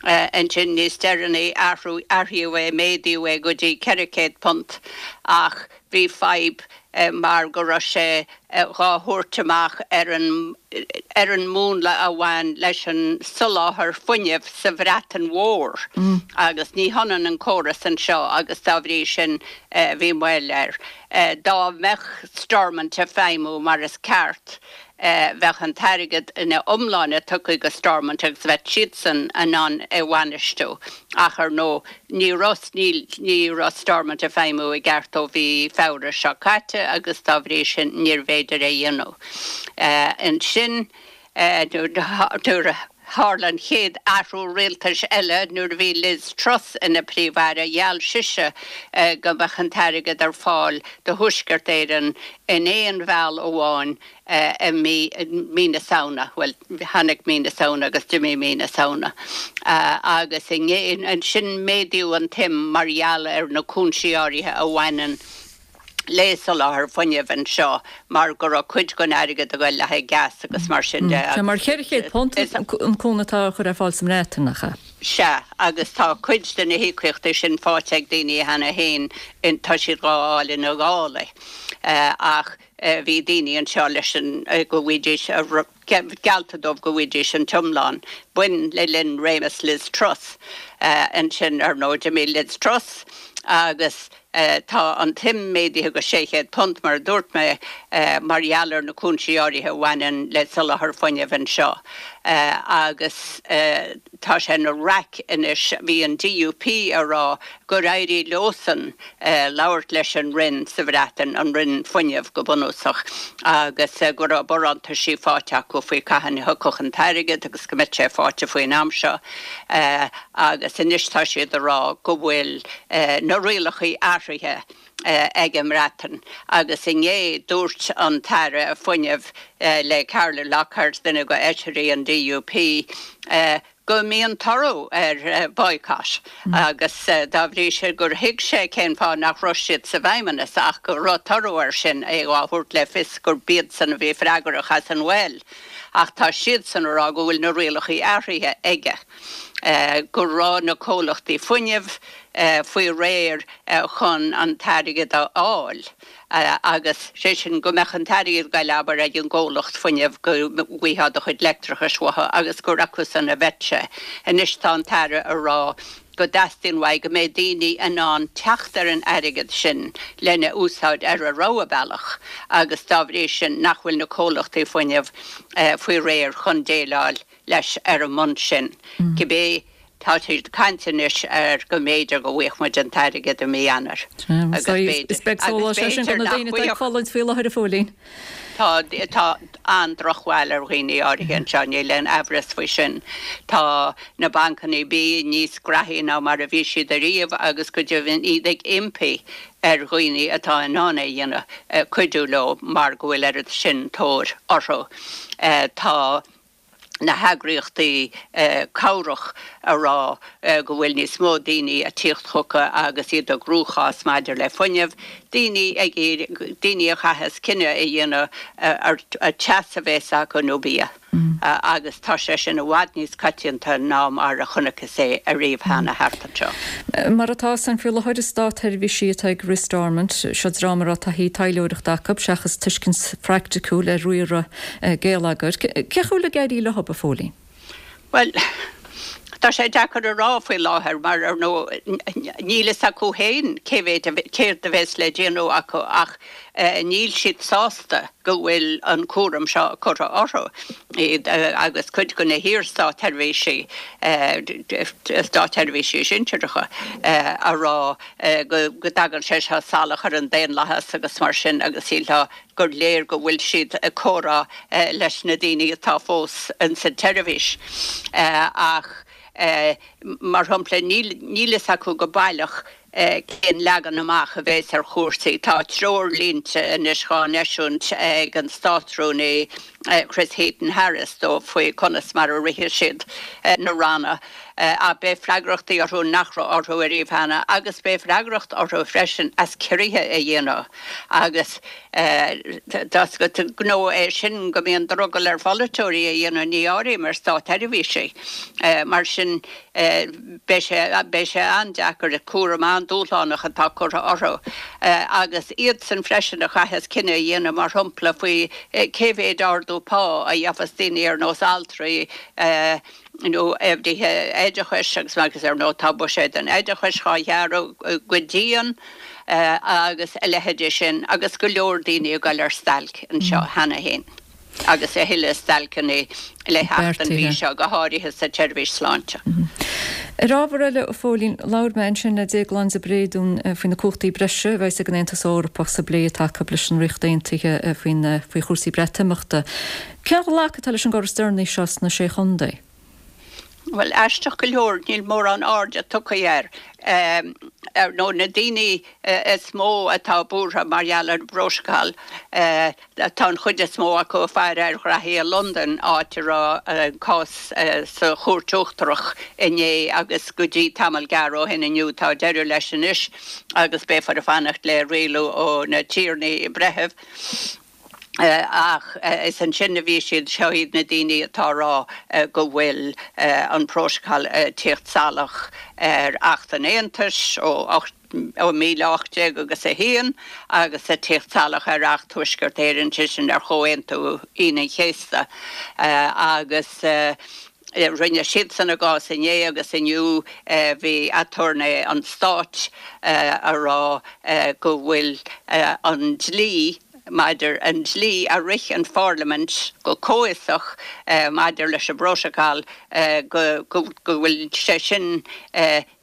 Ansin níos deireanaí, athraíodh é, méadaíodh é go dtí £400 ach bhí fadhb mar go raibh sé dhá thabhairt amach ar an ar an múnla a bhain leis an soláthar fuinnimh sa Bhreatain Mhór agus ní hionann an córas anseo agus dá bhrí sin bhí moill air. Dá mbeadh Stormont ag feidhmiú mar is ceart bheadh an t-airgead ina iomláine tugtha go Stormont agus bheadh siadsan in ann é a bhainistiú ach ar ndóigh ní raibh, níl, ní raibh Stormont ag feidhmiú i gceart ó mhí Feabhra seo caite agus dá bhrí sin níorbh fhéidir é a dhéanamh. Ansin nuair a tharla an chéad athrú rialtais eile nuair a bhí Liz Truss ina Príomh-Aire gheall sise go mbeadh an t-airgead ar fáil do Thuaisceart Éireann in aon mheall amháin i mí, mí na Samhna, bhuel, tháinig mí na Samhna agus d'imigh mí na Samhna agus ansin méadaíodh an tsuim mar gheall ar na cúinsí áirithe a bhaineann le soláthar fuinnimh anseo mar go raibh cuid den airgead ag dul le haghaidh gas agus mar sin de. Sea, mar £400 an cúnamh atá á chur ar fáil sa mBreatain, nach ea? Sea, agus tá cuid de na híocaíochtaí sin faighte ag daoine cheana féin, tá siad dhá fháil ina dhálaí ach Bhí daoine anseo leis an go bhfaighidís, geallta dóibh go bhfaighidís an t-iomlán. B'in le linn réimeas Liz Truss. Ansin, ar ndóigh, d'imigh Liz Truss. Agus tá an tsuim méadaithe go £600, mar a dúirt mé, mar gheall ar na cúinsí áirithe a bhaineann le soláthar fuinnimh anseo. Agus tá sé ina raic anois, bhí an DUP ag rá gur éirigh leosan labhairt leis an Roinn sa Bhreatain, an Roinn Fuinnimh go bunúsach, agus go raibh barántaisí faighte acu faoi cathain a thiocfadh an t-airgead agus go mbeadh sé faighte faoin am seo. Agus anois tá siad ag rá go bhfuil na rialachaí athraithe ag an mBreatain. Agus inné dúirt an tAire Fuinnimh le Carla Lockhart, duine de fheisirí an DUP, go mbíonn toradh ar boycott agus dá bhrí sin gur thuig sé cén fáth nach raibh siad sa bhFeidhmeannas ach go raibh toradh air sin, é á thabhairt le fios gurb iadsan a bhí freagrach as an mhoill. Ach tá siadsan ag rá go bhfuil na rialachaí athraithe aige, go raibh na comhlachtaí fuinnimh faoi réir chun an t-airgead a fháil agus, sé sin, go mbeadh an t-airgead ag goil, abair, ag an gcomhlacht fuinnimh go bhfaighfeá do chuid leictreachais uathu agus gur acusan a bheadh sé. Anois tá an tAire ag rá go dteastaíonn uaidh go mbeidh daoine in ann teacht ar an airgead sin lena úsáid ar a rogha bealach agus dá bhrí sin nach bhfuil na comhlachtaí fuinnimh faoi réir chun déileáil leis ar an mbonn sin. Cibé, tá siad ag caint anois ar go mb'fhéidir go bhfaigheadh muid an t-airgead i mí Eanáir. Agus b'fhéidir, Is beag sólás é sin do na daoine atá ag fulaingt faoi láthair, a Phóilín. Tá, tá an-drochbhail ar dhaoine áirithe anseo, níl aon aimhreas faoi sin. Tá na bancanna bia níos graithí ná mar a bhí siad ariamh agus go deimhin iad ag impí ar dhaoine atá in ann é a dhéanamh cuidiú leo mar go bhfuil oiread sin tóir orthu. Tá na heagraíochtaí cabhrach a rá go bhfuil níos mó daoine ag tíocht chucu agus iad i gcruachás maidir le fuinneamh, daoine ag iarraidh, daoine a chaitheas cinneadh a dhéanamh ar teas a bheas acu nó bia agus tá sé sin i bhfad níos coitianta ná mar a chonacthas é ariamh cheana thart anseo. Mar atá san faoi láthair, is státsheirbhísigh atá ag rith Stormont. Seo dream a raibh taithí taidhleoireachta acu seachas tuiscint phraiticiúil ar riaradh geilleagair. Cén chaoi a bhfuil ag éirí leo, a Phóilín? Bhuel, tá sé deacair a rá faoi láthair mar, ar ndóigh, níl fhios acu féin cé mhéid, céard a bheas le déanamh acu ach níl siad sásta go bhfuil an cúram seo curtha orthu, iad agus cuid de na hiar-státsheirbhísigh, státseirbhísigh sinsearacha, a rá go dtagann sé seo salach ar an daonlathas agus mar sin agus shílfeá gur léir go bhfuil siad ag comhrá leis na daoine atá fós ins an tseirbhís. Ach, mar shampla, níl fhios acu go baileach cén leagan amach a bheas ar chúrsaí. Tá treoirlínte anois dhá n-eisiúint ag an Státrúnaí Chris Heaton-Harris dóibh faoi conas mar a rithfidh siad na ranna. Ach beidh freagrachtaí orthu nach raibh orthu ariamh cheana agus beidh freagracht orthu freisin as ciorruithe a dhéanamh agus tá 's agat gnó é sin go mbíonn drogall ar pholaiteoirí a dhéanamh, ní áirím ar státseirbhísigh. Mar sin beidh sé, beidh sé an-deacair, cúram an-dúshlánach atá curtha orthu agus iadsan freisin a chaithfeas cinneadh a dhéanamh mar shampla faoi cé mhéid ardú pá a gheofas daoine ar nós altraí, nó oibrithe oideachais agus agus ar ndóigh tá buiséad an oideachais dhá ghearradh go dian agus a leithéidí sin agus go leor daoine ag goil ar stailc anseo cheana féin agus a thuilleadh stailceanna le theacht an mhí seo, go háirithe sa tseirbhís sláinte. Ar ábhar eile, a Phóilín, labhair mé ansin le Déaglán de Bréadún faoi na cumhachtaí breise a bheas ag an Aontas Eorpach sa bplé atá acu leis an Ríocht Aontaithe faoi chúrsaí Breatimeachta. Cén ghlacadh atá leis an gcor is deireanaí seo sna Sé Chontae? Bhuel, aisteach go leor, níl mórán airde tugtha air. Ar ndóigh, na daoine is mó atá buartha mar gheall ar an bprótacal, tá an chuid is mó acu ag faire ar ghraithí i Londain, áit a raibh an cás sa Chúirt Uachtarach inné agus go dtí tamall gearr ó shin inniu. Tá deireadh leis anois agus beifear ag fanacht le rialú ó na tiarnaí breithimh. Ach is ansin a bhí siad, seo iad na daoine atá a rá go bhfuil an prótacal ag tíocht salach ar Acht an Aontais ó 18 agus a haon agus ag tíocht salach ar Acht Thuaisceart Éireann, sé sin ar Chomhaontú Aoine an Chéasta agus. Rinne siadsan a gcás inné agus inniu bhí aturnae an stáit a rá go bhfuil an dlí maidir an dlí a rith an Pharlaimint go comhfhiosach maidir leis an bprótacal go go bhfuil sé sin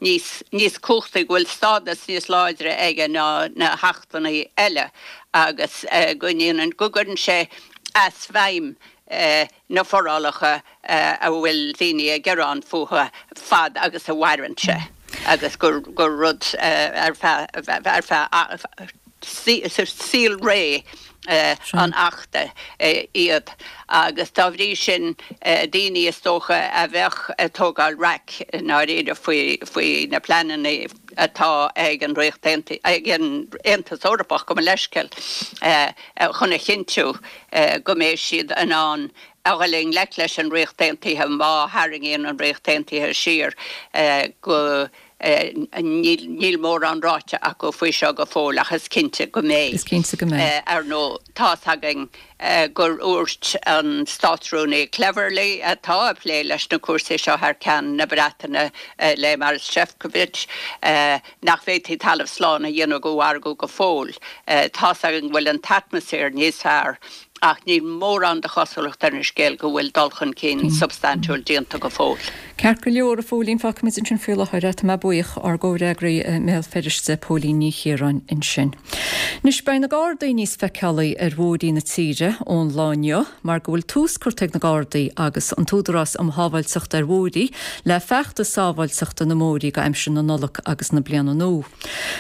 níos níos cumhachtaí, go bhfuil stádas níos láidre aige ná na hachtanna eile agus go ndéanann go gcuireann sé as feidhm na forálacha a bhfuil daoine ag gearán fúthu fad agus a mhaireann sé agus gur gur rud ar feadh ar feadh saolré an Achta iad agus dá bhrí sin daoine is dócha a bheadh ag tógáil raic i ndáiríre faoi faoi na pleananna atá ag an Ríocht Aontaithe, ag an Aontas Eorpach, gabh mo leithscéal, chun a chinntiú go mbeidh siad in ann a dhul i ngleic leis an Ríocht Aontaithe má tharraingíonn an Ríocht Aontaithe siar go Níl mórán ráite acu faoi seo go fóill ach is cinnte go mbeidh. Is cinnte go mbeidh. Ar ndóigh, tá's againn gur dhúirt an Státrúnaí Cleverly, atá ag plé leis na cúrsaí seo thar ceann na Breataine le Maros Sefcovic, nach bhféadfaí talamh slán a dhéanamh den mhargadh go fóill. Tá's againn go bhfuil an t-atmaisféar níos fearr ach níl mórán de chosúlacht ar an scéal go bhfuil dul chun cinn substaintiúil déanta go fóill. Ceart go leor, a Phóilín, fágfaimid ansin faoi láthair é. Tá mé buíoch. Ár gcomhfhreagraí i mBéal Feirste, Póilín Ní Chiaráin ansin. Anois, beidh na Gardaí níos feiceálaí ar bhóithrí na tíre ón lá inniu mar go bhfuil tús curtha ag na Gardaí agus an tÚdarás um Shábháilteacht ar Bhóithrí le feachtas sábháilteachta na mbóithrí go aimsir na Nollag agus na Bliana Nua.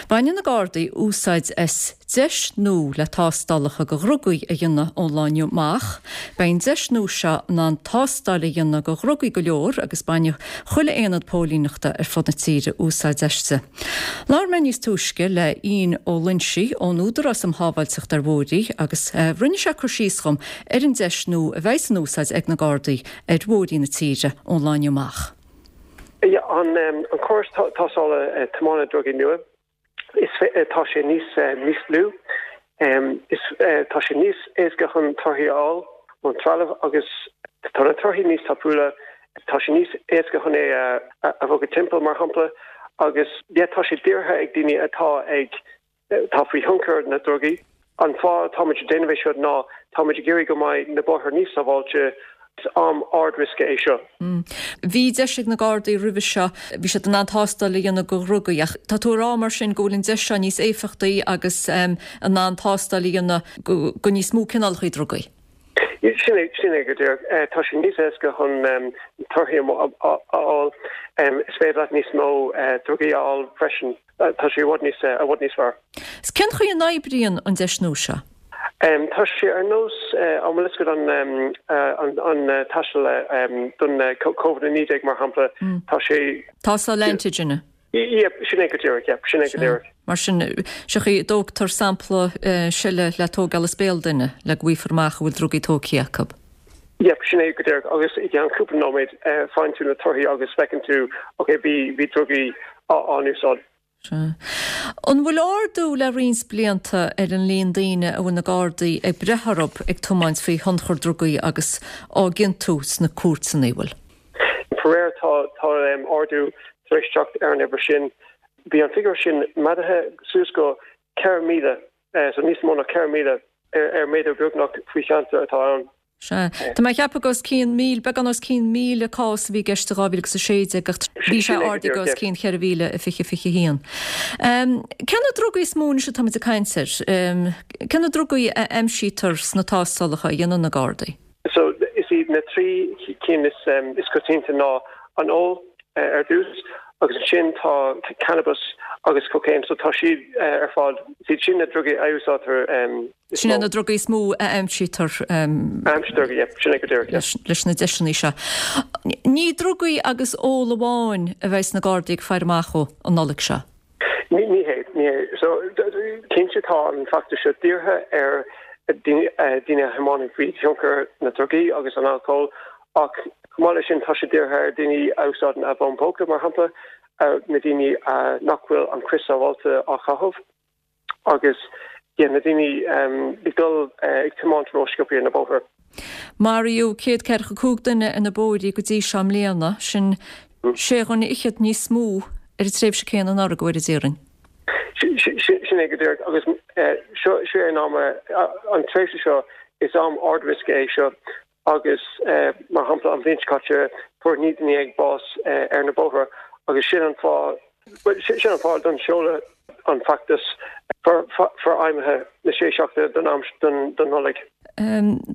Baineann na Gardaí úsáid as deis nua le tástálacha go dhrugaí a dhéanamh ón lá inniu amach. Beidh an deis nua seo in ann tástáil a dhéanamh go dhrugaí go leor agus bainfidh chuile aonad póilíneachta ar fud na tíre úsáid aisti. Labhair mé níos túisce le Ian Ó Loinsigh ón Údarás um Shábháilteacht ar Bhóithrí agus rinne sé cur síos dhom ar an deis nua a bheidh in úsáid ag na Gardaí ar bhóithrí na tíre ón lá inniu amach. An córas tástála tiomána drugaí nua. Is tá sé níos níos lú. Is tá sé níos éasca chun torthaí a fháil ón trealamh agus tá na torthaí níos tapúla. Tá sé níos éasca chun é a bhogadh timpeall, mar shampla, agus yeah tá sé dírithe ag daoine atá ag atá faoi thionchar na drugaí. An fáth atáimid ag déanamh é seo ná táimid ag iarraidh go mbeidh na bóithre níos sábháilte. Is am ard-riosca é seo. Bhí deis ag na Gardaí roimhe seo, bhí siad in ann tástáil a dhéanamh go dhrugaí ach tá tú ag rá mar sin go bhfuil an deis seo níos éifeachtaí agus in ann tástáil a dhéanamh go níos mó cineálacha drugaí. Sin é, sin é go díreach. Tá sé níos éasca chun torthaí a fháil. Is féidir leat níos mó drugaí a fháil freisin. Tá sé i bhfad níos, i bhfad níos fearr. 'S cén chaoi a n-oibríonn an deis nua seo? Tá sé ar nós, an bhfuil fhios agat an, an tástáil don Covid-19 mar shampla, tá sé. Tástáil antigine. Yep, sin é go díreach, yep, sin é go díreach. Mar sin, sé chaoi a dtógtar sampla seile le tógáil as béal duine le go bhfaighfear amach an bhfuil drugaí tógtha acu. Yep, sin é go díreach. Agus i gceann cúpla nóiméad faigheann tú na torthaí agus feiceann tú, ok, bhí, bhí drugaí á n-úsáid. Sea. An bhfuil ardú le roinnt blianta ar an líon daoine a bhfuil na Gardaí ag breith orthu ag tiomáint faoi thionchar drugaí agus á gciontú sna cúirteanna, an bhfuil? Faraor, tá, tá ardú tar éis teacht ar an uimhir sin. Bhí an figiúr sin méadaithe suas go 4,000 So níos mó ná 4,000 ar méadú beagnach faoi cheantar atá ann. Sea. Tá mé ag ceapadh go os cionn 1,000, beagán os cionn 1,000 cás a bhí i gceist i 2016 ach bhí sé ardaithe go os cionn 4,000 i 2021. Cé na drugaí is mó anois atáimid ag caint air? Cé na drugaí a aimsítear sna tástálacha a dhéanann na Gardaí? So, is iad na 3 cinn is coitianta ná an ól ar dtús agus ansin tá cannabas agus cocaine. So tá siad ar fad, is iad sin na drugaí a úsáidtear is mó. Sin iad na drugaí is mó a aimsítear. A aimsítear, yeah, sin é go díreach, yeah. Leis na deiseanna seo. Ní drugaí agus ól amháin a bheidh na Gardaí ag faire amach dhó an Nollaig seo. Ní hé, ní hé. So, cinnte tá an feachtas seo dírithe ar daoine a thiomáineann faoi thionchar na drugaí agus an alcóil ach chomh maith leis sin tá sé dírithe ar daoine a úsáideann a bhfón póca, mar shampla, na daoine nach bhfuil an crios sábháilte á chaitheamh agus yeah, na daoine ag dul ag tiomáint rósciobtha ar na bóithre. Maraíodh 145 duine ar na bóithrí go dtí seo i mbliana, sin sé dhuine fhichead níos mó ar an tréimhse céanna anuraidh, a Mhairéad Iarainn. Sin é go díreach agus seo é an am, an tréimhse seo, is am ard-riosca é seo agus mar shampla an bhliain seo caite fuair 19 duine bás ar na bóithre agus sin an fáth, sin an fáth don seoladh an feachtas forfheidhmithe na sé seachtaine don am don Nollaig.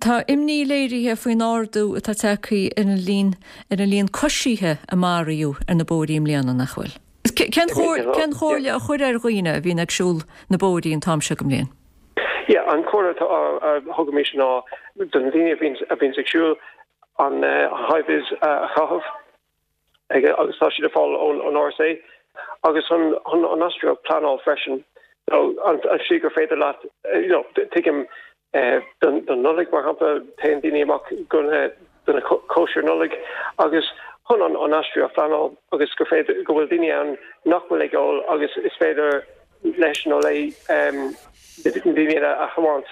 Tá imní léirithe faoin ardú atá tagtha ar an líon ar an líon coisithe a maraíodh ar na bóithrí i mbliana, nach bhfuil? Cén chomhairle a chuirfeá ar dhaoine a bhíonn ag siúl na bóithrí an t-am seo den mbliain? Yeah, an chomhairle atá a thugaimid ná do na daoine a bhíonn a bhíonns ag siúl an high-vis a chaitheamh agus tá siad ar fáil ón ón RSA agus chun chun an aistriú a pleanáil freisin. So an an slí gur féidir leat you know tuigim don don Nollaig mar shampla téann daoine amach go na do na cóisir Nollag agus chun an an aistriú a phleanáil agus gur féidir go bhfuil daoine ann nach bhfuil ag ól agus is féidir leis nó léi na daoine eile a thiomáint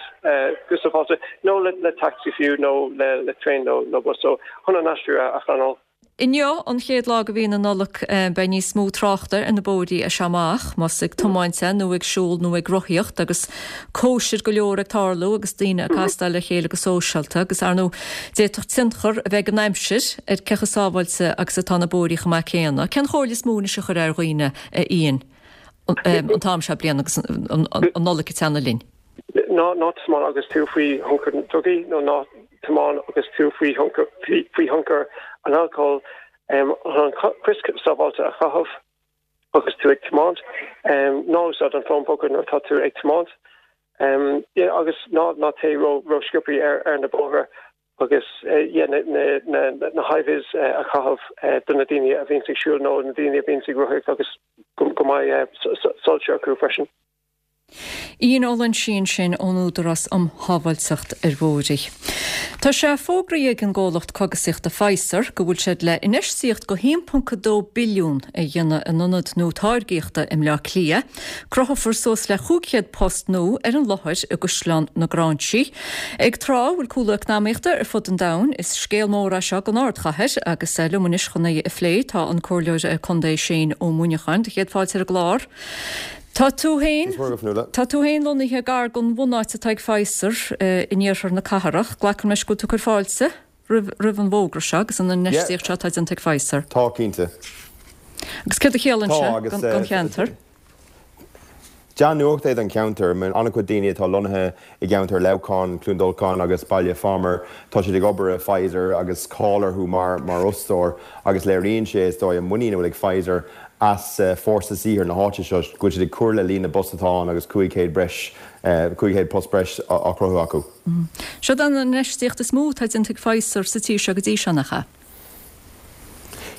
go sábháilte nó le tacsaí fiú nó le traein nó bus so chun an aistriú a phleanáil. Inniu, an chéad lá de mhí na Nollag, beidh níos mó tráchta ar na bóithrí as seo amach, más ag tiomáint é nó ag siúl nó ag rothaíocht, agus cóisir go leor ag tarlú agus daoine ag castáil le chéile go sóisialta agus, ar ndóigh, d'fhéadfadh tionchar a bheith ag an aimsir ar cé chomh sábháilte agus atá na bóithrí chomh maith céanna. Cén chomhairle is mó anois a chuirfeá ar dhaoine, a Ian, an t-am seo bliana agus an Nollaig ag teannadh linn? Ná ná tiomáin agus tú faoi thionchar drugaí nó ná tiomáin agus tú faoi faoi thionchar an alcóil. An crios sábháilte a chaitheamh agus tú ag tiomáint. Ná úsáid an fón póca nuair atá tú ag tiomáint. Agus ná ná téigh ró ró-sciobthaí ar ar na bóithre agus yeah na na na high-vis a chaitheamh do na daoine a bhíonns ag siúl nó na daoine a bhíonns ag rothaíocht agus go go mbeidh soilse acu freisin. Ian Ó Loinsigh ansin ón Údarás um Shábháilteacht ar Bhóithre. Tá sé fógraithe ag an gcomhlacht cogasaíochta Pfizer go bhfuil siad le infheistíocht de 1.2 billiún a dhéanamh in ionad nua táirgíochta i mBleá Cliath. Cruthófar suas le 500 post nua ar an láthair i gCaisleán na Gráinsí. Ag tráth a bhfuil cúlú eacnamaíochta ar fud an domhain, is scéal mór é seo don ardchathair agus liom anois chun é a phlé tá an Comhairleoir Contae Shane Ó Muineacháin. Do chéad fáilte ar an gclár. Tá tú féin, tá tú féin lonnaithe gar don bhunáit atá ag Pfizer in iarthar na cathrach. Glacaim leis go bhfuil tú ag cur fáilte roimh, roimh an bhfógra seo agus an infheistíocht seo atá déanta ag Pfizer. Tá, cinnte. Agus céard a chiallaíonn sé don cheantar? Dea-nuacht é don cheantar. An-chuid daoine atá lonnaithe i gceantar Leamhcáin, Cluain Dolcáin agus Baile Phámar, tá siad ag obair i Pfizer agus cáil orthu mar fhostóir agus léiríonn sé, is dóigh, an muinín a bhfuil ag Pfizer as fórsa saothair na háite seo, go bhfuil siad ag cur le líon na bpost atá ann agus 500 breis, 500 post breis á chruthú acu. Seo an infheistíocht is mó atá déanta ag Pfizer sa tír seo go dtí seo, nach ea?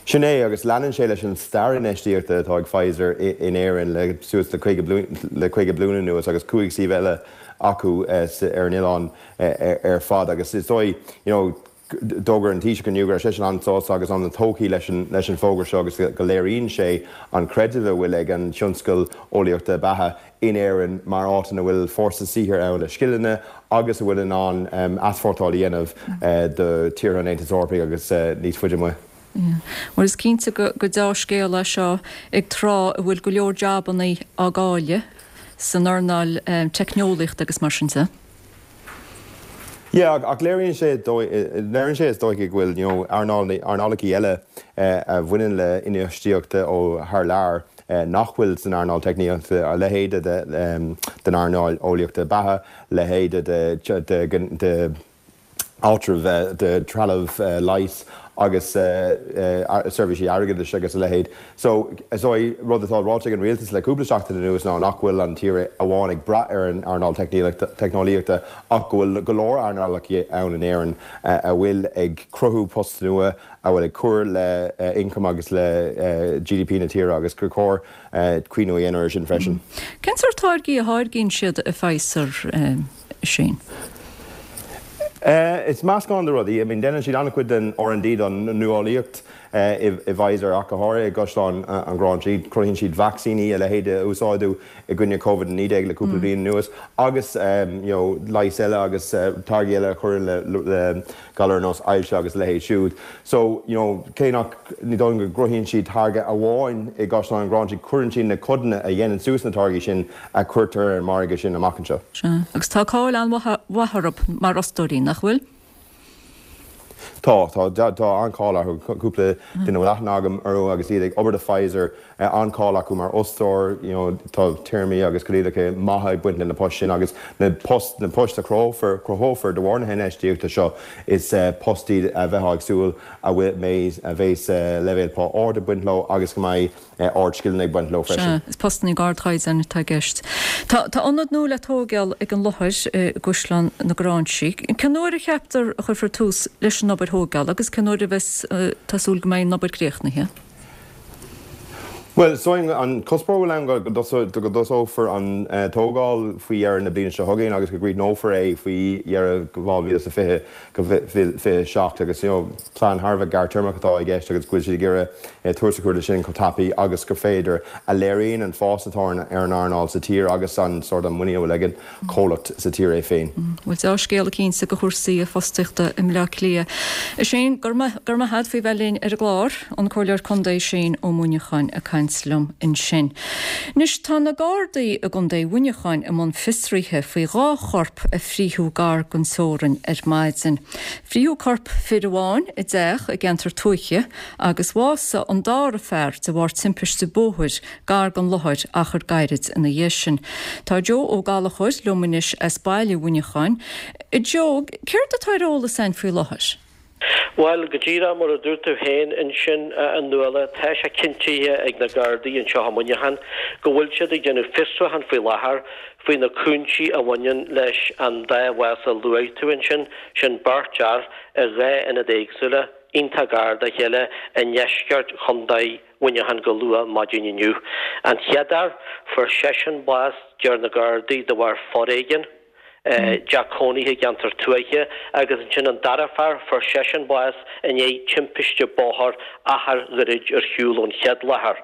Sin é, agus leanann sé leis an stair infheistíochta atá ag Pfizer in Éirinn le suas le 50 bliain anuas agus 5 suíomh eile acu ar an oileán ar fad agus is dóigh, you know, d'fhógair an Taoiseach inniu go raibh seisean an-sásta agus an-tógtha leis an bhfógra seo agus go léiríonn sé an creideamh a bhfuil ag an tionscal eolaíochta beatha in Éirinn mar áit ina bhfuil fórsa saothair ann le scileanna agus a bhfuil in ann easpórtáil a dhéanamh do tíortha an Aontais Eorpaigh agus níos faide amuigh. Bhuel, is cinnte gur deá-scéal é seo ag tráth a bhfuil go leor jabannaí á gcailleadh san earnáil teicneolaíochta agus mar sin de. Yeah, ach léiríonn sé, léiríonn sé is dóiche go bhfuil, you know, earnáil, earnálacha eile a bhaineann le infheistíocht ó thar lear nach bhfuil san earnáil teicneolaíochta, a leithéide de, den earnáil eolaíochta beatha, leithéide de, de, de áitreabh, de trealamh leighis agus seirbhísí airgeadais agus a leithéid. So, is dóigh, rud atá ráite ag an rialtas le cúpla seachtain anuas ná nach bhfuil an tír amháin ag brath ar an earnáil teicneolaíochta ach go bhfuil go leor earnálacha ann in Éirinn a bhfuil ag cruthú post nua, a bhfuil ag cur le ioncam agus le GDP na tíre agus gur chóir cuimhniú a dhéanamh air sin freisin. Cén sórt táirgí a tháirgíonn siad i Pfizer, Shane? Is meascán de rudaí. I mean, déanann siad an-chuid den R&D don nuálaíocht. i bPfizer ach go háirithe i gCaisleán an Ghráinsigh. Cruthaíonn siad vacsaíní, a leithéid a úsáideadh i gcoinne Covid-19 le cúpla bliain anuas agus you know leighis eile agus táirgí eile a chuireann le galair ar nós ailse agus a leithéid siúd. So, you know, cé nach, ní dóigh liom go gcruthaíonn siad táirge amháin i gCaisleán an Ghráinsigh, cuireann siad na codanna a dhéanann suas na táirgí sin a chuirtear ar an margadh sin amach anseo. Sea, agus tá cáil an-mhaith orthu mar fhostóirí, nach bhfuil? Tá, tá, tá an-cháil orthu. Cúpla duine a bhfuil aithne agam orthu agus iad ag obair do Pfizer, an-cháil acu mar fhostóir, you know, tá téarmaí agus coinníollacha maithe ag baint le na poist sin agus na post, na poist a chruthófar, cruthófar de bharr na hinfheistíochta seo, is post iad a bheifeá ag súil a bhfuil, mbeidh, a bheas leibhéal pá ard ag baint leo agus go mbeidh ardscileanna ag baint leo freisin. Sea, is postanna ardchaighdeáin atá i gceist. Tá, tá ionad nua le tóigeáil ag an láthair i gCaisleán na Gráinsí. Cén uair a cheaptar a chuirfear tús leis an obair thóigeála agus cén uair a bheas, tá súil go mbeidh an obair críochnaithe? Bhuel, so an cuspóir a bhfuil ann go go dtosófar an tógáil faoi dheireadh na bliana seo chugainn agus go gcríochnófar é faoi dheireadh 2020. go 27 agus you know plean thar a bheith gearrtéarmach atá i gceist agus go bhfuil siad ag iarraidh tús a chur leis sin chomh tapaidh agus gur féidir, a léiríonn an fás atá ar an earnáil sa tír agus an sórt an muinín a bhfuil ag an chomhlacht sa tír é féin. Bhuel, deá-scéala cinnte do chúrsaí fostaíochta i mBleá Cliath. A Shane, go raibh maith agat faoi bheith linn ar an gclár. An Comhairleoir Contae Shane Ó Muineacháin ag caint liom ansin. Anois, tá na Gardaí i gContae Mhuineacháin i mbun fiosraithe faoi dhá chorp a frítheadh gar don teorainn ar maidin. Frítheadh corp fir amháin i dteach i gceantar tuaithe agus bhásaigh an dara fear de bharr timpiste bóthair gar don láthair achar gairid ina dhiaidh sin. Tá Joe Ó Gallchóir liom anois as baile Mhuineacháin. A Joe, céard atá ar eolas againn faoi láthair? Bhuel, go díreach mar a dúirt tú féin ansin, a Nuala, tá sé cinntithe ag na Gardaí anseo i Muineachán go bhfuil siad ag déanamh fiosrúchán faoi láthair faoi na cúinsí a bhaineann leis an dá bhás a luaigh tú ansin, sin beirt fhear i dhá ionad éagsúla, iontach gar dá chéile, i ndeisceart Chontae Mhuineacháin go luath maidin inniu. An chéad fhear, fuair seisean bás, deir na Gardaí, de bharr foréigin. dteach cónaithe i gceantar tuaithe agus ansin an dara fear, fuair seisean bás i ndiaidh timpiste bóthair achar gairid ar shiúl ón chéad láthair.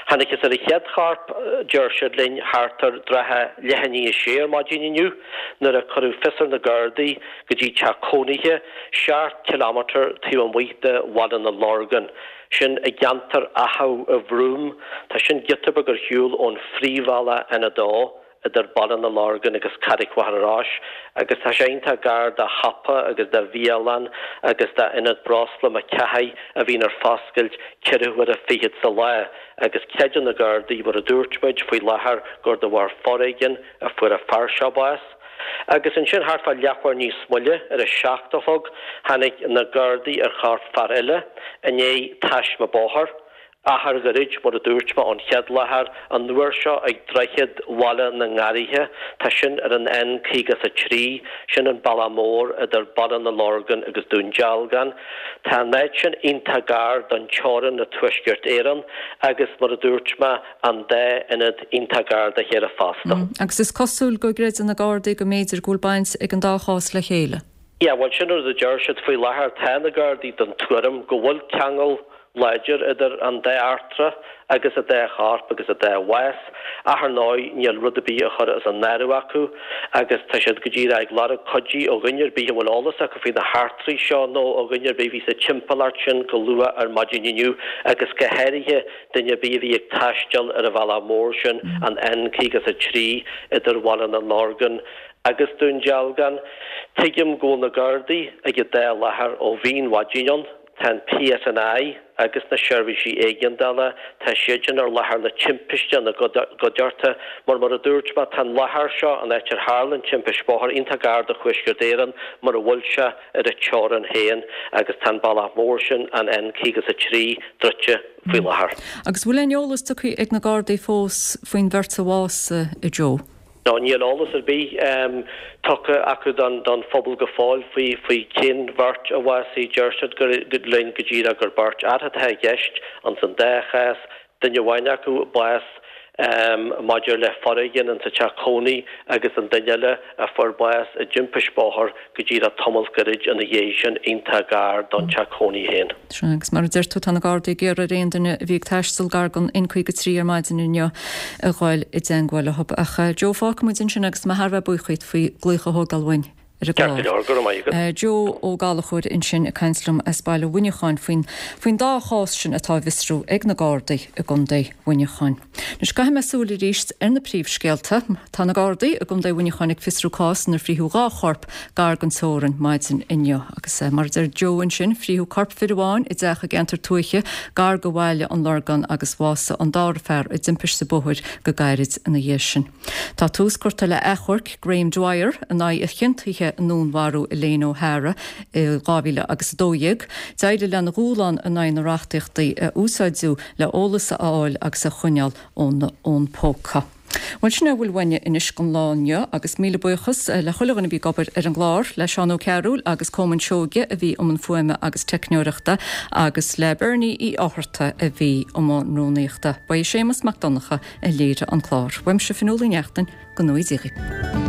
Thángthas ar an chéad chorp, deir siad linn, thart ar trátha leath i ndiaidh a sé ar maidin inniu nuair a cuireadh fios ar na Gardaí go dtí teach cónaithe, seacht kilometre taobh amuigh de Bhaile na Lorgan. Sin i gceantar Achadh an Bhroim. Tá sin giota beag ar shiúl ón phríomhbhealach N2. idir Baile na Lorgan agus Carraig Mhachaire Rois agus tá sé iontach gar do shiopa agus do bhialann agus d'ionad breosla McCathy a bhíonn ar foscailt ceithre huaire fichead sa lá agus creideann na Gardaí, mar a dúirt muid, faoi láthair gur de bharr foréigin a fuair an fear seo bás. Agus ansin thart fá leathuair níos moille, ar a seacht a chlog, tháinig na Gardaí ar chorp fear eile i ndiaidh taisme bóthair. Achar gairid, mar a dúirt mé, ón chéad láthair, an uair seo ag Droichead Bhaile na nGarraithe, tá sin ar an N53, sin an bealach mór idir Baile na Lorgan agus Dún Dealgan. Tá an áit sin iontach gar don teorainn le Tuaisceart Éireann agus, mar a dúirt mé, an dá ionad iontach gar dá chéile fosta. Agus is cosúil go gcreideann na Gardaí go mb'fhéidir go bhfuil baint ag an dá chás le chéile. Yeah, bhuel sin rud a deir siad faoi láthair. Tá na Gardaí den tuairim go bhfuil ceangal láidir idir an dá eachtra agus an dá chorp agus an dá bhás, ach ar ndóigh níl rud ar bith á chur as an áireamh acu agus tá siad go díreach ag lorg cuidí ó dhuine ar bith a bhfuil eolas acu faoi na heachtraí seo nó ó dhuine ar bith a bhí sa timpeallacht sin go luath ar maidin inniu agus go háirithe duine ar bith a bhí ag taisteal ar an bhealach mór sin, an N53 idir Bhaile na Lorgan agus Dún Dealgan. Tuigim go bhfuil na Gardaí ag an dá láthair ó mhínmhaidin ann. Tá an PSNI agus na seirbhísí éigeandála, tá siadsan ar láthair na timpiste ina gcuideachta. Mar mar a dúirt mé, tá an láthair seo, an áit ar tharla an timpiste bóthair, iontach gar do Thuaisceart Éireann mar a bhfuil sé ar an teorainn féin agus tá an bealach mór sin, an N53, druidte faoi láthair. Agus bhfuil aon eolas tugtha ag na Gardaí fós faoin bheirt a bhásaigh, a Joe? No, níl eolas ar bith tugtha acu don phobal go fóill faoi faoi cén bheirt a bhásaigh. Deir siad linn go díreach gur beirt fhear atá i gceist ins an dá chás, duine amháin acu bás. Maidir le foréigean insa teach cónaí agus an duine eile a fuair bás i dtimpiste bóthair go díreach tamall gairid ina dhiaidh sin, iontach gar don teach cónaí féin. Sea, agus mar a deir tú, tá na Gardaí ag iarraidh ar aon duine a bhí ag taisteal gar don N53 ar maidin inniu a ghoil i dteangmháil leo. Ach Joe, fágfaidh muid ansin agus tá mé thar a bheith buíoch díot faoi glaoch a thógáil uainn ar an Ceart go leor, go raibh maith agat. Joe Ó Gallchóir ansin ag caint liom as baile Mhuineacháin faoin faoin dá chás sin atá á bhfiosrú ag na Gardaí i gContae Mhuineacháin. Anois caithfidh mé súil arís ar na príomhscéalta. Tá na Gardaí i gContae Mhuineacháin ag fiosrú cás inar frítheadh 2 chorp gar don teorainn maidin inniu. Agus mar a deir Joe ansin, frítheadh corp fir amháin i dteach i gceantar tuaithe gar do bhaile an Lorgáin agus bhásaigh an dara fear i dtimpiste bóthair go gairid ina dhiaidh sin. Tá tús curtha le achomharc Graham Dwyer in aghaidh a chiontaithe i ndúnmharú Elaine O'Hara i 2000 agus 12. D'éirigh lena dhúshlán in aghaidh na reachtaíochtaí a úsáideadh le eolas a fháil agus a choinneáil óna fhón póca. Bhuel, sin é a bhfuil uainne anois don lá inniu agus míle buíochas le chuile dhuine a bhí ag obair ar an gclár, le Seán Ó Cearúil agus Colmán Seoige a bhí i mbun fuaime agus teicneoireachta agus le Bernie Uí Fhátharta a bhí i mbun rúnaíochta. Ba é Séamus Mac Donncha a léirigh an clár. Uaimse Fionnuala Ní Neachtain, go ngnóthaí Dia dhaoibh.